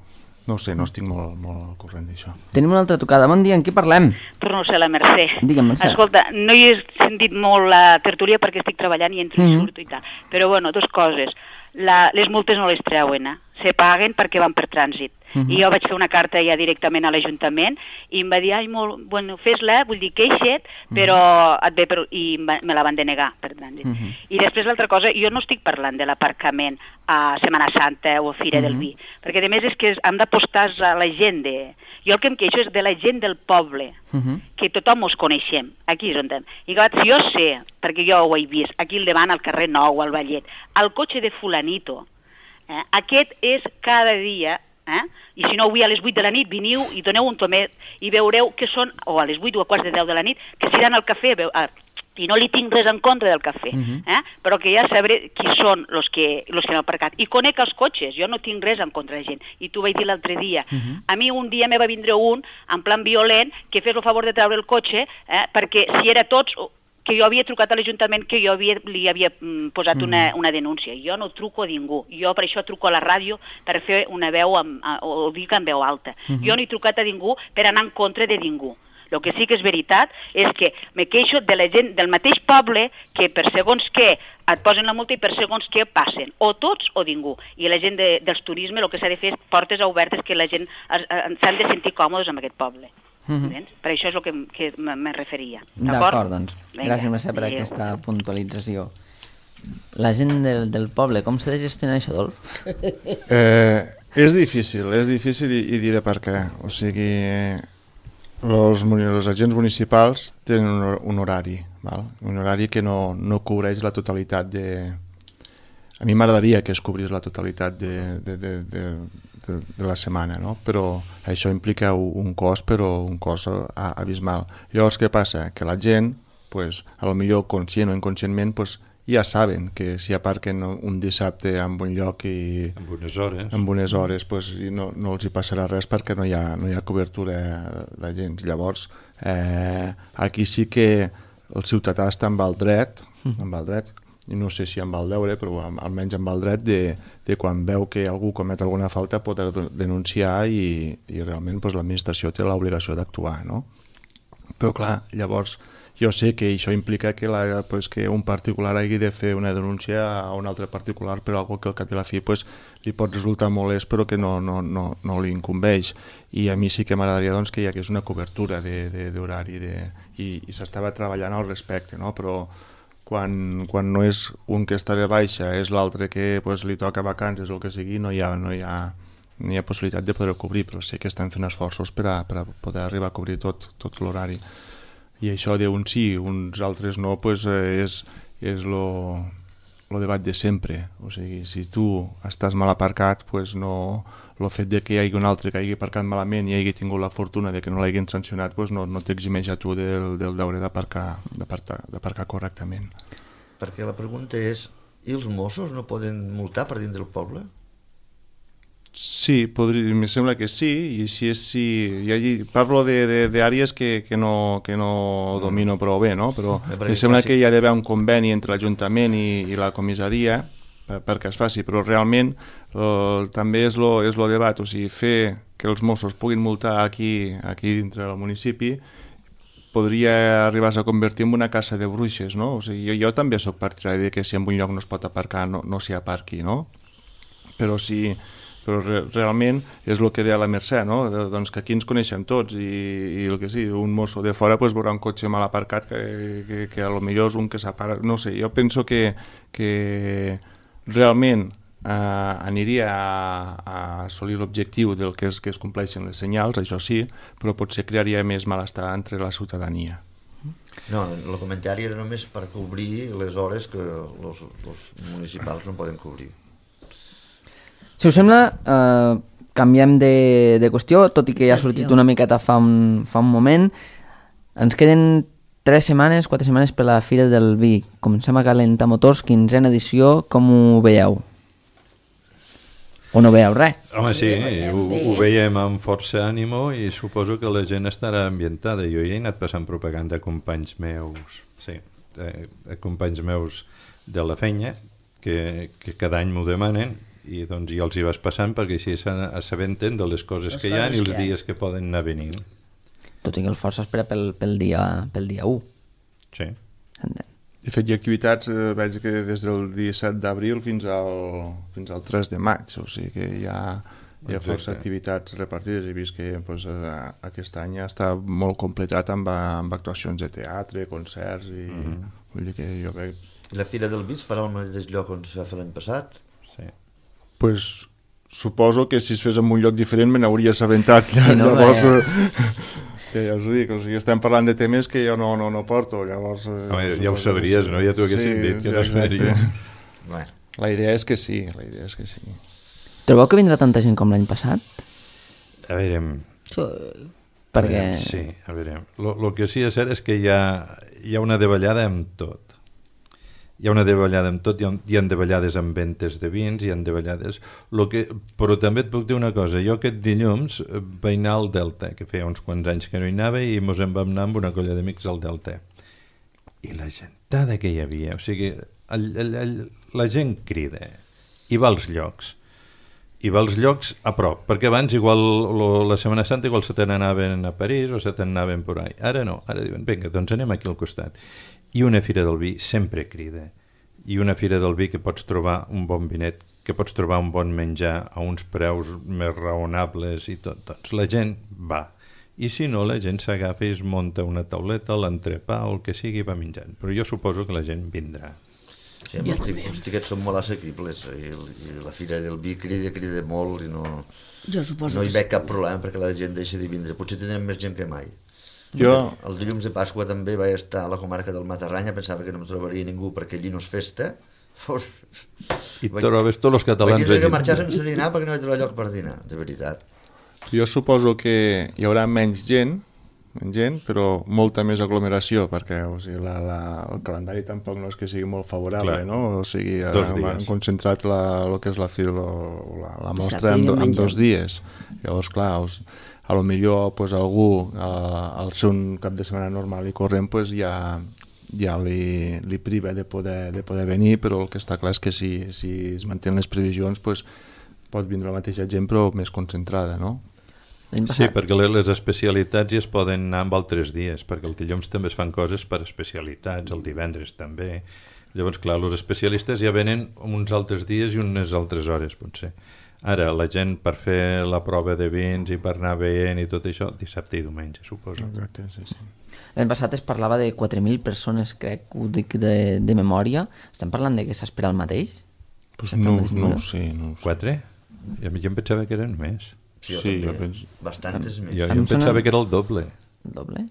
no ho sé, no estic molt, molt al corrent d'això. Tenim una altra trucada. Bon dia, en qui parlem? Torno a ser la Mercè. Digue'm, Mercè. Escolta, no hi he sentit molt la tertúlia perquè estic treballant i entro i Mhm. surto i tal. Però, bueno, dues coses. La, les multes no les treuen, eh? Se paguen perquè van per trànsit. Mhm. I jo vaig fer una carta ja directament a l'Ajuntament i em va dir, ai, molt, bueno, fes-la, vull dir, queixa't, però et ve per... i em va- me la van denegar per trànsit. Mhm. I després l'altra cosa, jo no estic parlant de l'aparcament a Setmana Santa o a Fira del Vi, perquè a més és que hem d'apostar a la gent de... Jo el que em queixo és de la gent del poble, Mhm. que tothom us coneixem, aquí és on estem. I clar, si jo sé, perquè jo ho he vist, aquí al davant, al carrer Nou, al Vallet, el cotxe de fulanito, eh, aquest és cada dia, eh? I si no avui a les vuit de la nit veniu i doneu un tomet i veureu que són, o a les vuit o a quarts de deu de la nit, que s'aniran al cafè, veu, ah, i no li tinc res en contra del cafè, Mhm. eh? Però que ja sabré qui són els que, los que han aparcat. I conec els cotxes, jo no tinc res en contra de gent. I tu vaig dir l'altre dia, Mhm. a mi un dia me va vindre un, en plan violent, que fes el favor de treure el cotxe, eh? Perquè si era tots, que jo havia trucat a l'Ajuntament, que jo havia, li havia mm, posat una, una denúncia. Jo no truco a ningú. Jo per això truco a la ràdio per fer una veu, amb, a, o dir en veu alta. Jo no he trucat a ningú per anar en contra de ningú. El que sí que és veritat és que me queixo de la gent del mateix poble que per segons què et posen la multa i per segons què passen, o tots o ningú. I la gent de, dels turisme el que s'ha de fer és portes obertes que la gent s'han de sentir còmodes amb aquest poble. Mm-hmm. Per això és el que, que me referia. D'acord, doncs. Gràcies, Mercè, per aquesta puntualització. La gent del, del poble, com s'ha de gestionar això, Adolf? Eh, és difícil, és difícil i, i diré per què. O sigui, els, els agents municipals tenen un, un horari, val? Un horari que no, no cobreix la totalitat de... A mi m'agradaria que es cobrís la totalitat de, de, de, de, de, de la setmana, no? Però això implica un cost, però un cost abismal. Llavors, què passa? Que la gent, pues, a lo millor conscient o inconscientment, pues, ja saben que si aparquen un dissabte en un lloc i amb unes hores, amb unes hores pues, no, no els hi passarà res perquè no hi ha, no hi ha cobertura de gent. Llavors, eh, aquí sí que el ciutadà està amb el dret, amb el dret, i no sé si amb el deure, però almenys amb el dret de, de quan veu que algú comet alguna falta poder denunciar i, i realment pues, l'administració té l'obligació d'actuar, no? Però clar, llavors jo sé que això implica que, la, pues, que un particular hagi de fer una denúncia a un altre particular per algo que al cap i a la fi pues, li pot resultar molest però que no, no, no, no li incumbeix. I a mi sí que m'agradaria doncs, que hi hagués una cobertura d'horari de, i, i s'estava treballant al respecte, no? Però quan, quan no és un que està de baixa, és l'altre que pues, li toca vacances o el que sigui, no hi ha, no hi ha, no hi ha possibilitat de poder cobrir, però sé que estan fent esforços per a, per a poder arribar a cobrir tot, tot l'horari. I això d'un sí, uns altres no, pues, eh, és, és lo, lo debat de sempre. O sigui, si tu estàs mal aparcat, pues no, el fet de que hi hagi un altre que hagi aparcat malament i hagi tingut la fortuna de que no l'hagin sancionat, pues no, no t'eximeix a tu del, del deure d'aparcar correctament. Perquè la pregunta és, i els Mossos no poden multar per dintre del poble? Sí, podria, em sembla que sí, i si és sí, allí, parlo d'àrees que, que, no, que no domino prou bé, no? Però em sembla que hi ha d'haver un conveni entre l'Ajuntament i, i la comissaria per, perquè es faci, però realment eh, també és lo, és lo debat, o sigui, fer que els Mossos puguin multar aquí, aquí dintre del municipi podria arribar a convertir en una caça de bruixes, no? O sigui, jo, jo també soc partidari de que si en un lloc no es pot aparcar no, no s'hi aparqui, no? Però si... però re, realment és el que deia la Mercè, no? De, doncs que aquí ens coneixem tots i, i el que sí, un mosso de fora pues, veurà un cotxe mal aparcat que, que, que a lo millor és un que s'apara, no sé, jo penso que, que realment eh, aniria a, a assolir l'objectiu del que és que es compleixen les senyals, això sí, però potser crearia més malestar entre la ciutadania. No, el comentari era només per cobrir les hores que els municipals no poden cobrir. Si us sembla, eh, canviem de, de qüestió, tot i que ja ha sortit una miqueta fa un, fa un moment. Ens queden tres setmanes, quatre setmanes per la Fira del Vi. Comencem a calentar motors, quinzena edició, com ho veieu? O no veieu res? Home, sí, ho, ho veiem amb força ànimo i suposo que la gent estarà ambientada. Jo ja he anat passant propaganda a companys meus, sí, a companys meus de la feina, que, que cada any m'ho demanen, i doncs ja els hi vas passant perquè així s'assabenten de les coses que hi ha i els dies que poden anar venint. Tot i que el força espera pel, pel, dia, pel dia u. Sí. De fet, hi ha activitats, eh, veig que des del disset d'abril fins al, fins al tres de maig, o sigui que hi ha, hi ha força activitats repartides. He vist que pues, eh, aquest any està molt completat amb, amb actuacions de teatre, concerts, i mm-hmm. vull dir que jo veig... I la Fira del Vi es farà al mateix lloc on es va fer l'any passat? Sí. Pues, suposo que si es fes en un lloc diferent me n'hauria assabentat. Sí, no, llavors, eh, que ja us ho dic, o sigui, estem parlant de temes que jo no, no, no porto. Llavors, eh, Home, ja ho sabries, no? Ja t'ho haguessin sí, dit, que sí, no es faria. Bueno. La idea és que sí, la idea és que sí. Trobeu que vindrà tanta gent com l'any passat? A veure... Sí. Perquè... Sí, a veure... El que sí és cert és que hi ha, hi ha una davallada amb tot. Hi ha una davallada amb tot, hi ha, hi ha davallades amb ventes de vins, hi ha davallades... Lo que, però també et puc dir una cosa, jo aquest dilluns vaig anar al Delta, que feia uns quants anys que no hi anava, i mos en vam anar amb una colla d'amics al Delta. I la gentada que hi havia, o sigui, el, el, el, la gent crida i va als llocs. i va als llocs a prop, perquè abans igual lo, la Setmana Santa igual se te n'anaven a París o se te n'anaven por ahí. Ara no, ara diuen, vinga, doncs anem aquí al costat. I una fira del vi sempre crida. I una fira del vi que pots trobar un bon vinet, que pots trobar un bon menjar a uns preus més raonables i tot. Doncs la gent va. I si no, la gent s'agafa i es munta una tauleta, l'entrepà o el que sigui i va menjant. Però jo suposo que la gent vindrà. Sí, els, els tiquets són molt assequibles i, i la fira del vi crida, crida molt i no, Jo suposo no hi que veig cap problema perquè la gent deixa de vindre. Potser tindrem més gent que mai. Jo... El dilluns de Pasqua també vaig estar a la comarca del Matarranya, pensava que no em trobaria ningú perquè allí no és festa. I trobes tots els catalans vaig dir que allí. marxar sense dinar perquè no vaig trobar lloc per dinar, de veritat. Jo suposo que hi haurà menys gent, menys gent, però molta més aglomeració, perquè o sigui, la, la, el calendari tampoc no és que sigui molt favorable, Clar. no? O sigui, Dos han, han dies. concentrat la, el que és la, fil, la, la mostra Dissabte i en, do- en diumenge. dos dies. Llavors, clar, us, a lo millor pues, algú, eh, al ser un cap de setmana normal i corrent, pues, ja, ja li, li priva de poder, de poder venir, però el que està clar és que si, si es mantenen les previsions, pues, pot vindre la mateixa gent, però més concentrada, no? Sí, perquè le- les especialitats ja es poden anar amb altres dies, perquè el dilluns també es fan coses per especialitats, el divendres també. Llavors, clar, els especialistes ja venen uns altres dies i unes altres hores, potser. Ara, la gent per fer la prova de vins i per anar veient i tot això, dissabte i diumenge, suposo. Exacte, sí, sí. L'any passat es parlava de quatre mil persones, crec, ho dic de, de memòria. Estem parlant de que s'espera el mateix? Pues no, no ho sé, no ho sé. Quatre? Jo em pensava que eren més. Sí, jo Sí, també. jo penso- Bastantes més. Jo, A jo mi em em sona- pensava que era el doble, El doble?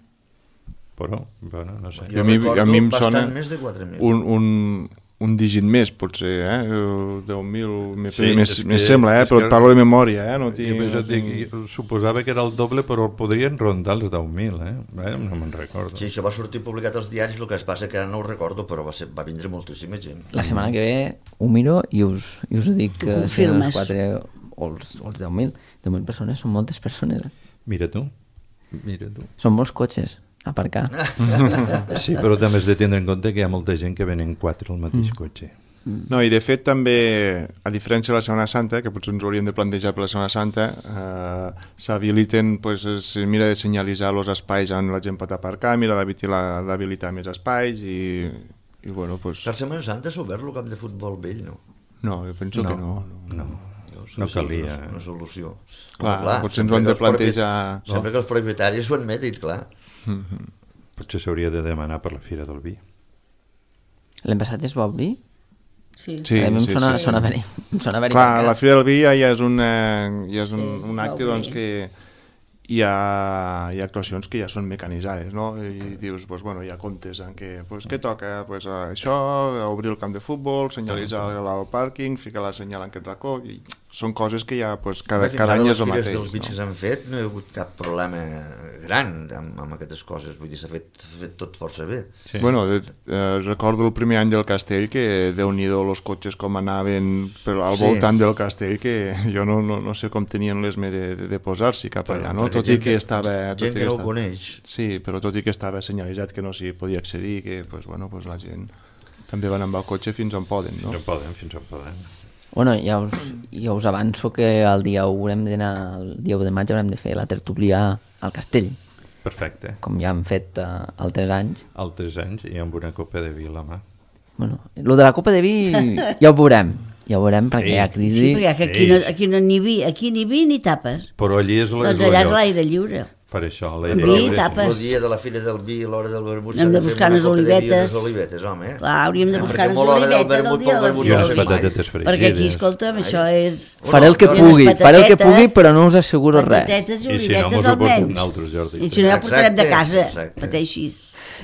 però, bueno, no sé. Jo a mi- recordo a mi em bastant sona més de quatre mil. un, un, un dígit més, potser, eh? deu mil, me, Sí, més, és més que- sembla, eh? és Però que- et parlo de memòria, eh? No tinc, Jo, no jo dic, tinc... jo suposava que era el doble, però podrien rondar els deu mil, eh? Bé, no me'n recordo. Sí, això va sortir publicat als diaris, el que es passa que ara no ho recordo, però va, ser, va vindre moltíssima gent. La setmana que ve ho miro i us, i us dic que Ho si eren confirmes. els quatre o els, o els deu mil. deu mil persones són moltes persones. Eh? Mira tu, mira tu. Són molts cotxes a aparcar. Sí, però també has de tindre en compte que hi ha molta gent que venen quatre al mateix cotxe. No, i de fet també, a diferència de la Setmana Santa, que potser ens ho hauríem de plantejar per la Setmana Santa, eh, s'habiliten, pues, es mira de senyalitzar els espais on la gent pot aparcar, mira d'habilitar d'habilitar més espais i, i bueno, pues... Per Setmana Santa s'ha obert el camp de futbol vell, no? No, jo penso No, que no. no, Llavors, no sí, calia. Una, una solució. Clar, Home, potser ens sempre ho hem que de els propi- plantejar... Sempre que els propietaris ho admetin, clar. Potser s'hauria de demanar per la Fira del Vi. L'any passat es va obrir? Sí. Sí, a mi em sí, sona, sí. sona haver-hi. Em sona haver-hi Clar, tancat. la Fira del Vi ja, ja és, una, ja és un, Sí, un va acte obrir. doncs, que hi ha, hi ha actuacions que ja són mecanitzades, no? I dius, pues, bueno, hi ha comptes en què, pues, què toca? Pues, uh, això, obrir el camp de futbol, senyalitzar el, el pàrquing, ficar la senyal en aquest racó, i són coses que ja pues, cada, Fins cada ara any les és el fires mateix. dels bits que No? s'han fet no hi ha hagut cap problema gran amb, amb aquestes coses, vull dir, s'ha fet, s'ha fet tot força bé. Sí. Bueno, de, eh, recordo el primer any del castell que Déu-n'hi-do els cotxes com anaven per, al Sí. voltant del castell, que jo no, no, no sé com tenien l'esme de, de, de posar-s'hi cap Però, allà, no? perquè Tot i gent que que- estava... tot i gent que no ho estava- coneix. Sí, però tot i que estava senyalitzat que no s'hi podia accedir, que pues, bueno, pues, la gent també van amb el cotxe fins on poden, no? No poden, fins on poden. Bueno, ja us, ja us avanço que el dia u haurem d'anar, el dia u de maig haurem de fer la tertúlia al castell, Perfecte. com ja hem fet uh, altres anys. Altres anys i amb una copa de vi a la mà. Bueno, lo de la copa de vi ja ho veurem, ja ho veurem perquè Ei. hi ha crisi. Sí, perquè aquí no, aquí no ni vi, aquí ni vi ni tapes. Però allí és, la, és Doncs allà és el lloc. l'aire lliure. Per això, Vi, l'aire lliure. tapes. El dia de la Fira del Vi, a l'hora del vermut, Hem s'ha de fer buscar una unes copa de vi i olivetes. unes olivetes, home. Eh? Clar, hauríem de Eh, buscar perquè unes molt hora del olivetes del vermut dia pel de la vermut I Fira unes del Vi. patatetes fregides. Perquè aquí, escolta'm, això és... Faré el que Unes pugui, faré el que patatetes, pugui, però no us asseguro res. Patatetes i I si no, olivetes mos ho portem almenys. nosaltres, Jordi. I si no, ja portarem de Exacte, casa, exacte. perquè així...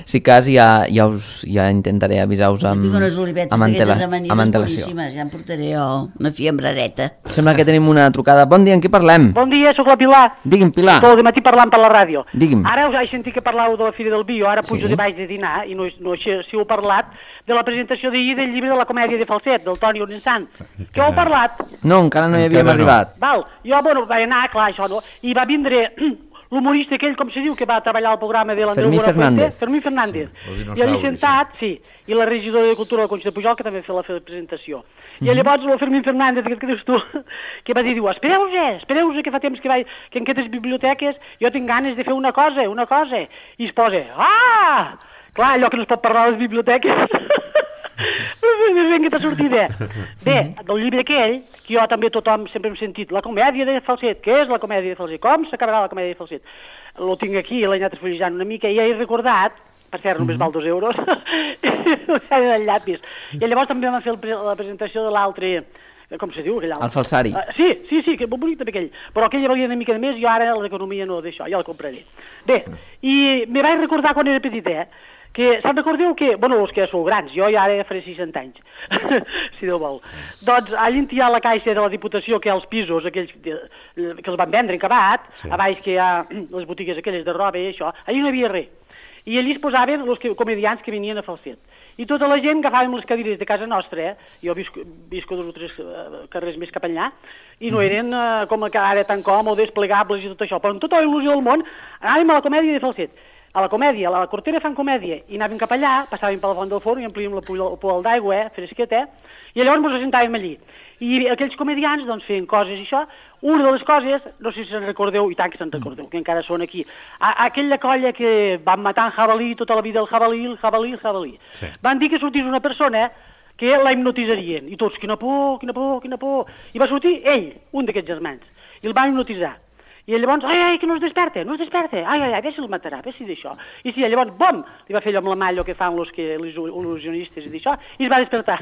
Si cas, ja, ja, us, ja intentaré avisar-vos amb, Tinc unes olivetes amb, antela, d'aquestes amanides amb antelació. boníssimes, ja em portaré jo una fiambrareta. Sembla que tenim una trucada. Bon dia, en què parlem? Bon dia, sóc la Pilar. Digui'm, Pilar. Tot el matí parlant per la ràdio. Digui'm. Ara us he sentit que parlàveu de la Fira del Vi, jo ara pujo Sí. de baix de dinar, i no, no sé si heu parlat de la presentació d'ahir del llibre de la comèdia de Falset, del Toni Orensant. Què heu parlat? No, encara no hi havíem Encara no. arribat. Val, jo, bueno, vaig anar, clar, això no, i va vindre l'humorista aquell, com se diu, que va treballar al programa de l'Andreu Fermí Buenafuente, Fernández. Fermí Fernández, Sí, el i dinosaure, allí sentat, sí, i la regidora de Cultura de la Conxa de Pujol, que també fa la presentació. I llavors el Fermí Fernández, aquest que dius tu, que va dir, diu, espereu-vos, espereu-vos, que fa temps que, vaig, que en aquestes biblioteques jo tinc ganes de fer una cosa, una cosa, i es posa, ah! Clar, allò que no es pot parlar a les biblioteques. Ben que t'ha sortit bé. Bé, del llibre aquell, que jo també tothom sempre hem sentit, la comèdia de Falset. Què és la comèdia de Falset? Com s'acabarà la comèdia de Falset? Lo tinc aquí, l'he anat esfullejant una mica, i ja he recordat, per cert, només val dos euros, el llapis. I llavors també vam fer el, la presentació de l'altre, com se diu? El falsari. Uh, sí, sí, sí, que molt bonic també aquell. Però aquell valia una mica de més, jo ara l'economia no d'això, ja el compraré. Bé, i me vaig recordar quan era petit, eh? Que se'n recordeu que, bueno, els que sou grans, jo ja ara faré seixanta anys, si Déu vol. Doncs allà hi ha la caixa de la Diputació, que hi ha els pisos, aquells que, que els van vendre en acabat, sí. A baix que hi ha les botigues aquelles de roba i això, allà no hi havia res. I allà es posaven els que, comedians que venien a Falset. I tota la gent agafàvem les cadires de casa nostra, eh? Jo visco, visco dos o tres uh, carrers més cap allà, i no eren uh, com que ara tan còmodes, plegables i tot això, però amb tota la il·lusió del món anàvem a la comèdia de Falset. A la comèdia, a la Cortera fan comèdia, i anàvem cap allà, passàvem per la font del forn i amplíem el pool d'aigua, eh, fresqueta, i llavors ens assentàvem allí. I aquells comedians, doncs, feien coses i això. Una de les coses, no sé si se'n recordeu, i tant que se'n recordeu, que encara són aquí, a, aquella colla que van matar en jabalí tota la vida, el jabalí, el jabalí, el jabalí. Sí. Van dir que sortís una persona que la hipnotitzarien, i tots, quina por, quina por, quina por. I va sortir ell, un d'aquests germans, i el van hipnotitzar. I llavors, ai, ai, que no es desperta, no es desperta, ai, ai, ai, ve si el matarà, ve si d'això. I sí, llavors, bom, li va fer allò amb la mà, allò que fan els que, els il·lusionistes i d'això, i es va despertar.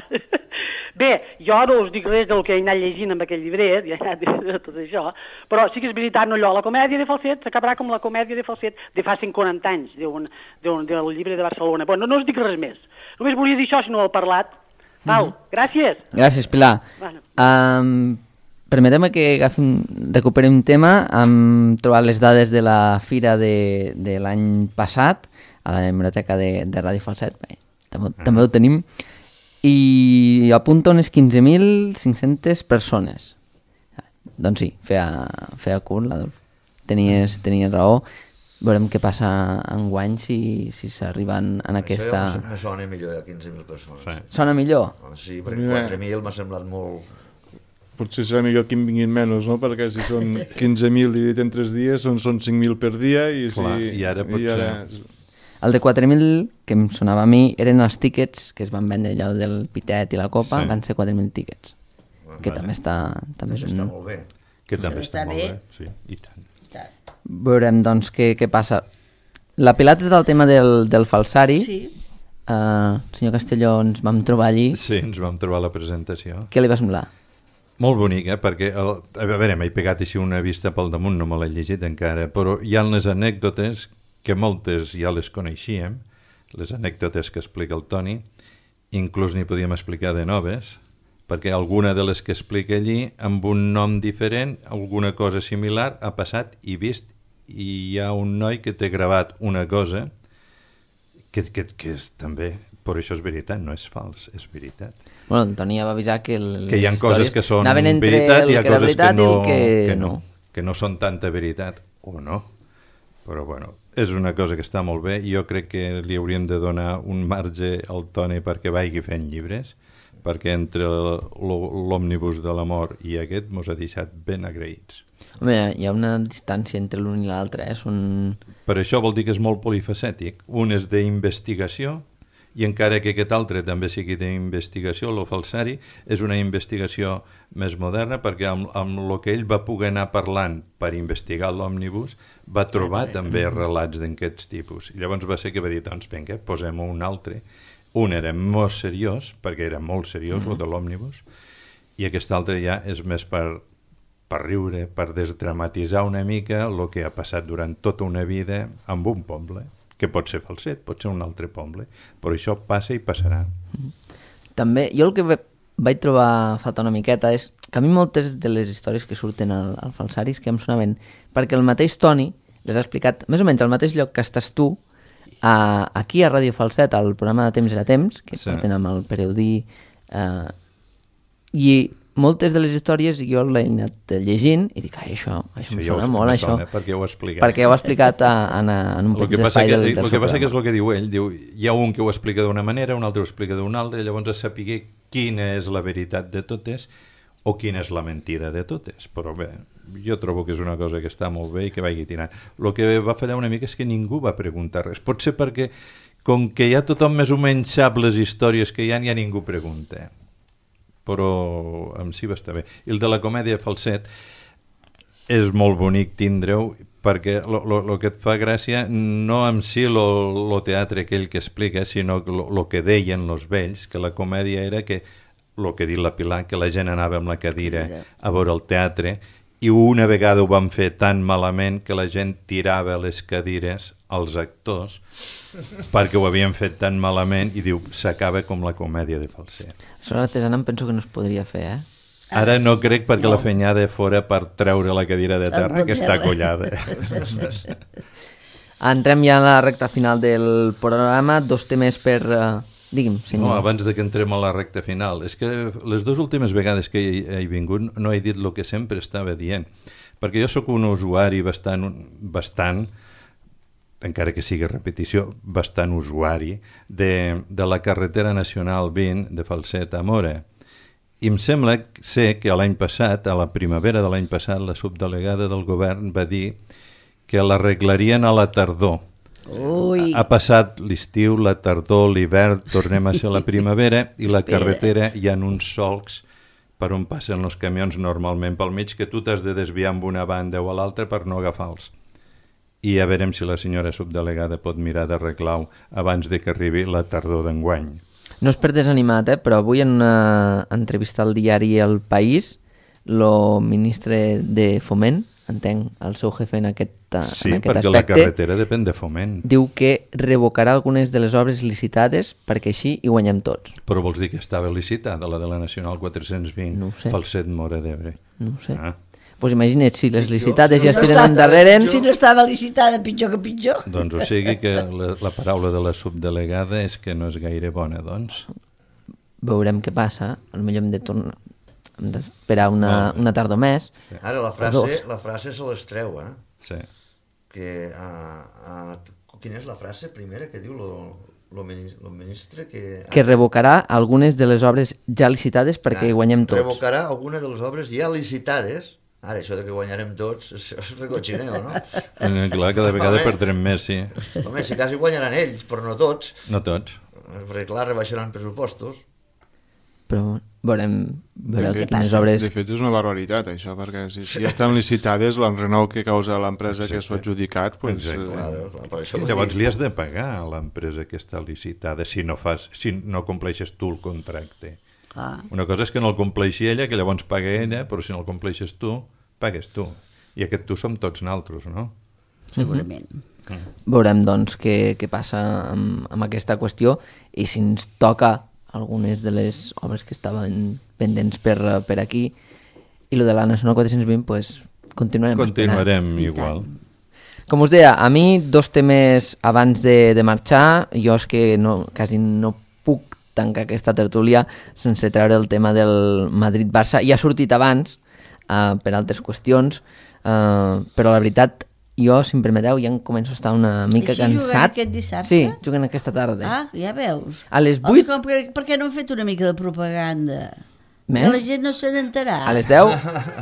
Bé, jo no us dic res del que he anat llegint amb aquell llibret, i he anat de tot això, però sí que és veritat, no allò, la comèdia de Falset s'acabarà com la comèdia de Falset de fa cent quaranta anys, d'un, d'un, del llibre de Barcelona. Bueno, no us dic res més, només volia dir això si no ho he parlat. Val, mm-hmm. Gràcies. Gràcies, Pilar. Bueno. Um... Permetem que agafim, recuperem un tema. Hem trobat les dades de la fira de, de l'any passat a la biblioteca de, de Ràdio Falset. Bé, també, mm. també ho tenim. I apunta unes quinze mil cinc-centes persones. Doncs sí, feia, feia curt, l'Adolf. Tenies, tenies raó. Veurem què passa enguany si, si s'arriben en aquesta... Això ja me sona millor, ja quinze mil persones. Sí. Sona millor? Sí, perquè quatre mil m'ha semblat molt... Potser serà millor que en vinguin menys, no? Perquè si són quinze mil dividit en tres dies, són, són cinc mil per dia i, Clar, si, i ara potser... I ara... El de quatre mil, que em sonava a mi, eren els tíquets que es van vendre allò del pitet i la copa, sí. Van ser quatre mil tíquets, bueno, que vale. també està... També, també és un... està molt bé. Que també està, està molt bé. bé, sí, i tant. I tant. Veurem, doncs, què, què passa. La pilota del tema del, del falsari, sí. uh, senyor Castelló, ens vam trobar allí. Sí, ens vam trobar la presentació. Què li va semblar? Molt bonic, eh? Perquè, el, a veure, m'he pegat així una vista pel damunt, no me l'he llegit encara, però hi ha les anècdotes, que moltes ja les coneixíem, les anècdotes que explica el Toni, inclús n'hi podíem explicar de noves, perquè alguna de les que explica allí, amb un nom diferent, alguna cosa similar, ha passat i vist, i hi ha un noi que té gravat una cosa que, que, que és també... Però això és veritat, no és fals, és veritat. Bueno, el Toni ja va avisar que les que hi ha coses que són veritat i hi ha coses que no, que, que, no, que no són tanta veritat o no. Però bueno, és una cosa que està molt bé i jo crec que li hauríem de donar un marge al Toni perquè vagi fent llibres, perquè entre l'òmnibus de l'amor i aquest mos ha deixat ben agraïts. Home, hi ha una distància entre l'un i l'altre, eh? Són... Per això vol dir que és molt polifacètic. Un és d'investigació, i encara que aquest altre també sigui d'investigació, el falsari, és una investigació més moderna perquè amb, amb el que ell va poder anar parlant per investigar l'òmnibus va trobar també relats d'aquests tipus. I llavors va ser que va dir, doncs vinga, posem un altre. Un era molt seriós, perquè era molt seriós, mm-hmm. el de l'òmnibus, i aquest altre ja és més per, per riure, per desdramatitzar una mica el que ha passat durant tota una vida amb un poble, que pot ser Falset, pot ser un altre poble, però això passa i passarà. També, jo el que vaig trobar falta una miqueta és que a mi moltes de les històries que surten al, al falsari és que em sonaven, perquè el mateix Toni les ha explicat més o menys al mateix lloc que estàs tu, a, aquí a Ràdio Falset, al programa de Temps era Temps, que sí. Porten amb el Pereudí, eh, i moltes de les històries jo l'he anat llegint i dic, ai, això, això, això em sona molt, això. Sona, perquè ho ha explicat. Perquè ho ha explicat a, a, en un petit espai que, del, del El que passa que és el que diu ell, diu, hi ha un que ho explica d'una manera, un altre ho explica d'una altra, i llavors a saber quina és la veritat de totes o quina és la mentida de totes. Però bé, jo trobo que és una cosa que està molt bé i que vagi tirant. El que va fallar una mica és que ningú va preguntar res. Pot ser perquè, com que ja tothom més o menys sap les històries que hi ha, ja ningú pregunta. Però en si va estar bé. I el de la comèdia falset és molt bonic tindre-ho, perquè el que et fa gràcia no en si el teatre aquell que explica, sinó el que deien els vells, que la comèdia era que, el que ha dit la Pilar, que la gent anava amb la cadira a veure el teatre, i una vegada ho van fer tan malament que la gent tirava les cadires als actors perquè ho havien fet tan malament, i diu, s'acaba com la comèdia de falset. Això l'artesana em penso que no es podria fer, eh? Ara no crec, perquè no. La fenyada de fora per treure la cadira de terra, que està collada. Entrem ja a la recta final del programa, dos temes per... Uh, digui'm, senyor. No, abans de que entrem a la recta final, és que les dues últimes vegades que he, he vingut no he dit el que sempre estava dient, perquè jo sóc un usuari bastant, bastant encara que sigui repetició, bastant usuari de, de la carretera nacional vint de Falset a Móra. I em sembla ser que l'any passat, a la primavera de l'any passat, la subdelegada del govern va dir que l'arreglarien a la tardor. Ui. Ha passat l'estiu, la tardor, l'hivern, tornem a ser la primavera, i la carretera hi ha uns solcs per on passen els camions normalment pel mig, que tu t'has de desviar amb una banda o a l'altra per no agafar-los. I a veurem si la senyora subdelegada pot mirar d'arreglar-ho abans de que arribi la tardor d'enguany. No és per desanimat, eh? Però avui en una entrevista al diari El País, el ministre de Foment, entenc, el seu jefe en aquest, sí, en aquest perquè aspecte, la carretera depèn de Foment. Diu que revocarà algunes de les obres licitades perquè així hi guanyem tots. Però vols dir que estava licitada, la de la Nacional quatre-cents vint, no sé. Falset Móra d'Ebre? No ho sé. Ah. Pues imagina't, si les licitades ja es tiren endarrere... Si no estava licitada, pitjor que pitjor. Doncs o sigui que la, la paraula de la subdelegada és que no és gaire bona, doncs. Veurem què passa, potser hem de tornar... hem d'esperar una, no. una tardor més. Sí. Ara la frase, la frase se les treu, eh? Sí. Que, uh, uh, quina és la frase primera que diu el ministre? Que, que revocarà algunes de les obres ja licitades perquè hi guanyem tots. Revocarà alguna de les obres ja licitades. Ara, això de que guanyarem tots, això és recotxineo, no? Eh, clar, cada vegada home, perdrem més, sí. Home, si quasi guanyaran ells, però no tots. No tots. Perquè, clar, rebaixaran pressupostos. Però veurem, veureu de fet, quines obres... De fet, és una barbaritat, això, perquè si, si ja estan licitades, l'enrenou que causa l'empresa que s'ho ha adjudicat... Pues, eh... clar, clar, per això llavors li has de pagar a l'empresa que està licitada si no, fas, si no compleixes tu el contracte. Ah. Una cosa és que no el compleixi ella, que llavors paga ella, però si no el compleixes tu, pagues tu. I aquest tu som tots naltros, no? Segurament. Uh-huh. Mm. Veurem, doncs, què, què passa amb, amb aquesta qüestió i si ens toca algunes de les obres que estaven pendents per, per aquí, i lo de la Nacional quatre-cents vint, pues, continuarem Continuarem esperant. igual. Com us deia, a mi dos temes abans de, de marxar, jo és que no, quasi no puc tancar aquesta tertúlia sense treure el tema del Madrid-Barça. Ja ha sortit abans, uh, per altres qüestions, uh, però la veritat, jo, si em permeteu, ja em començo a estar una mica Així cansat. juguen aquest dissabte? Sí, juguen aquesta tarda. Ah, ja veus. A les vuit... Home, per, per què no han fet una mica de propaganda? Més? Que la gent no se n'ha enterat. A les deu?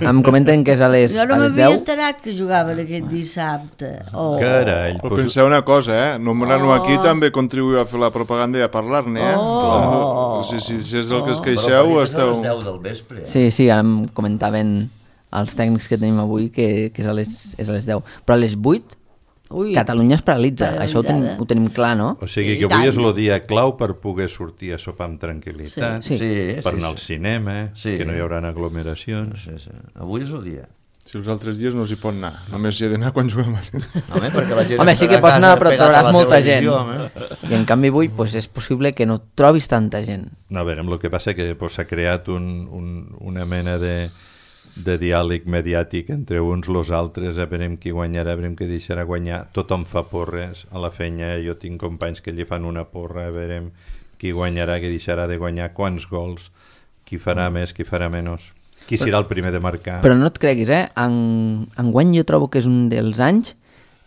Em comenten que és a les, jo no a les m'havia deu. enterat que jugaven aquest dissabte. Oh. Carai. Però Pues... penseu una cosa, eh? Nomenar-ho Oh. aquí també contribuïu a fer la propaganda i a parlar-ne, eh? Oh. Si, si, si és el que es Però queixeu, per esteu... a les deu del vespre. Eh? Sí, sí, ara em comentaven els tècnics que tenim avui que, que és, a les, és a les deu. Però a les vuit, Ui. Catalunya es paralitza. Paralitzada. Això ho tenim, ho tenim clar, no? O sigui Sí, que avui tant. és el dia clau per poder sortir a sopar amb tranquil·litat, Sí. Sí, per sí, anar al sí. cinema, Sí. que no hi haurà aglomeracions. Sí, sí. Avui és el dia. Si els altres dies no s'hi pot anar, només hi ha d'anar quan juguem a temps. Home, perquè la gent Home, sí estarà que pots a anar, casa però pegat a trobaràs la molta gent. televisió, home. I en canvi avui pues, és possible que no trobis tanta gent. No, a veure, el que passa que pues, s'ha creat un, un, una mena de, de diàleg mediàtic entre uns los altres, a veurem qui guanyarà, a veurem qui deixarà guanyar. Tothom fa porres a la feina, jo tinc companys que li fan una porra, a veurem qui guanyarà, qui deixarà de guanyar, quants gols, qui farà més, qui farà menys. Qui serà el primer de marcar? Però no et creguis, eh? En, enguany jo trobo que és un dels anys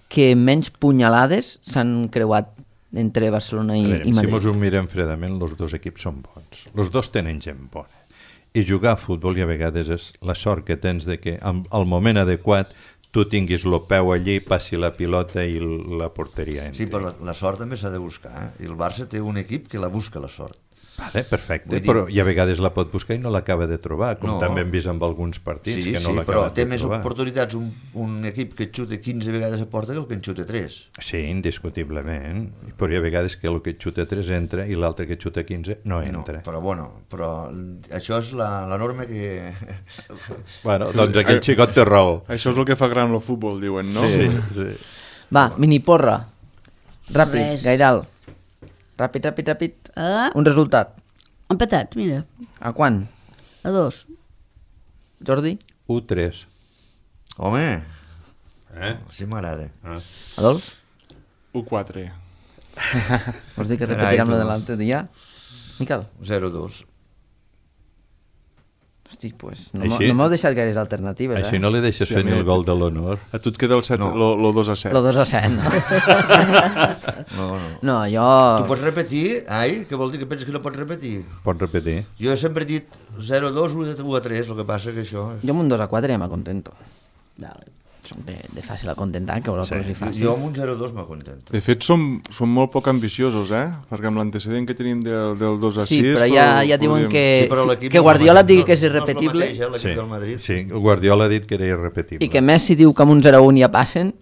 que menys punyalades s'han creuat entre Barcelona i, veure, i Madrid. Si mos ho mirem fredament, els dos equips són bons. Els dos tenen gent bona. I jugar a futbol i a vegades és la sort que tens de que al moment adequat tu tinguis el peu allí, passi la pilota i la porteria entri. Sí, però la, la sort també s'ha de buscar. Eh? I el Barça té un equip que la busca, la sort. Vale, perfecte, Vull dir- però i a vegades la pot buscar i no l'acaba de trobar, com No. també hem vist amb alguns partits Sí, que no sí, l'acaba però de té més trobar. oportunitats un, un equip que xuta quinze vegades a porta que el que en xuta tres. Sí, indiscutiblement, però hi ha vegades que el que xuta tres entra i l'altre que xuta quinze no No, entra. però bueno, però això és la, la norma que... Bueno, doncs aquell xicot té raó. Això és el que fa gran el futbol, diuen, no? Sí, sí. Va, miniporra. Ràpid, Res. Gairal. Ràpid, ràpid, ràpid. Ah, Un resultat. empatat, mira, A quan? a dos. Jordi? u tres. Home, Eh? sí m'agrada. Ah. Adolf? u quatre. Vols dir que Carai, repetirem lo tu. de l'altre dia? Miquel? zero dos. Hosti, pues no, Així- m'ho- no m'heu deixat gaires alternatives, Així eh? no li deixes Sí, fer a ni mi- el gol de l'honor. A tu et queda el, set, No. lo, lo dos a set. Lo dos a set, no? No, no. No, jo... Tu pots repetir? Ai, què vol dir que penses que no pots repetir? Pots repetir? Jo he sempre dit zero dos, u a tres, el que passa que això... Jo amb un dos a quatre ja m'acontento. Vale. Som de, de fàcil a contentar, que voleu Sí. que us hi fàcil. Jo amb un zero dos m'acontento. De fet, som, som molt poc ambiciosos, eh? Perquè amb l'antecedent que tenim del, del dos a Sí, sis... però ja, ja diuen podríem- que, Sí, però l'equip que no és el Guardiola et mateix, digui que és no- no irrepetible és el mateix, eh, l'equip Sí, del Madrid. sí, el Guardiola ha dit que era irrepetible. i que Messi diu que amb un zero a un ja passen.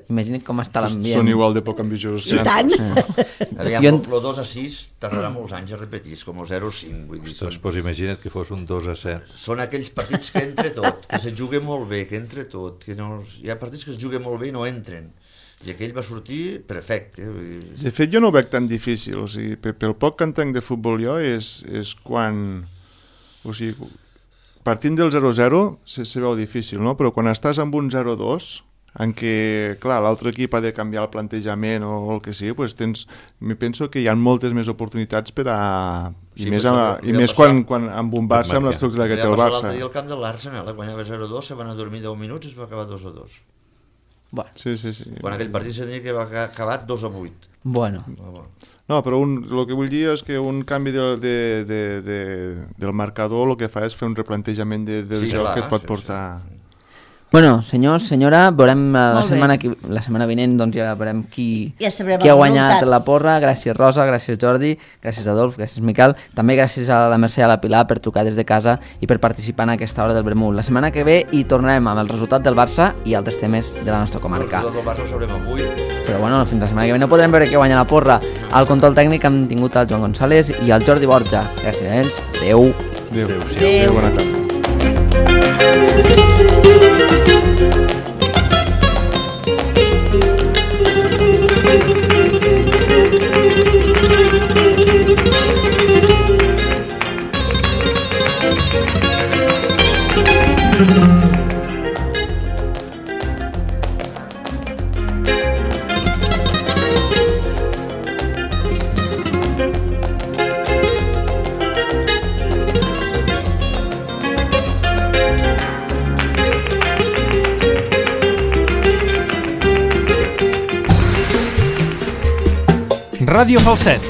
Imagina't com està l'ambient. Són igual de poc ambiciosos. I tant. Aviam, Jo el, en- el dos a sis tardarà molts anys a repetir, és com el zero a cinc, vull dir, Ostres, són, pues imagina't que fos un dos a set. són aquells partits que entre tot, que se juga molt bé, que entre tot, que no, hi ha partits que es juguen molt bé i no entren, i aquell va sortir perfecte. Vull dir, De fet, jo no ho veig tan difícil. O sigui, pe- pel poc que entenc de futbol jo és, és quan... O sigui, partint del zero zero se, se veu difícil, no? Però quan estàs amb un zero dos, en què, clar, l'altre equip ha de canviar el plantejament o el que sigui, doncs tens, me penso que hi ha moltes més oportunitats per a... I Sí, més, però a, això i ja més passar- quan, quan amb un Barça, amb marcar. l'estructura que té ja el passar Barça. l'altre dia al camp de l'Arsenal, eh? Guanyava zero dos, se van a dormir deu minuts i es va acabar dos a dos. Bueno, Sí, sí, sí. Quan aquell partit se tenia que va acabar acabat dos a vuit. bueno. No, però un, el que vull dir és que un canvi de, de, de, de, del marcador el que fa és fer un replantejament de, del Sí, joc clar, que et pot sí, portar... Bueno, senyors, senyora, veurem eh, la Molt bé. setmana, que, la setmana vinent, doncs ja veurem qui, Ja sabrem qui ha el guanyat resultat. la porra. Gràcies, Rosa, gràcies, Jordi, gràcies, Adolf, gràcies, Miquel. També gràcies a la Mercè i a la Pilar per trucar des de casa i per participar en aquesta hora del Vermut. La setmana que ve hi tornarem amb el resultat del Barça i altres temes de la nostra comarca. El del Barça el sabrem avui. Però bueno, fins la setmana que ve no podrem veure qui guanya la porra. Al control tècnic hem tingut el Joan González i el Jordi Borja. Gràcies a ells. Adéu. Adéu. Adéu-siau. Adéu, bona tarda. Ràdio Falset.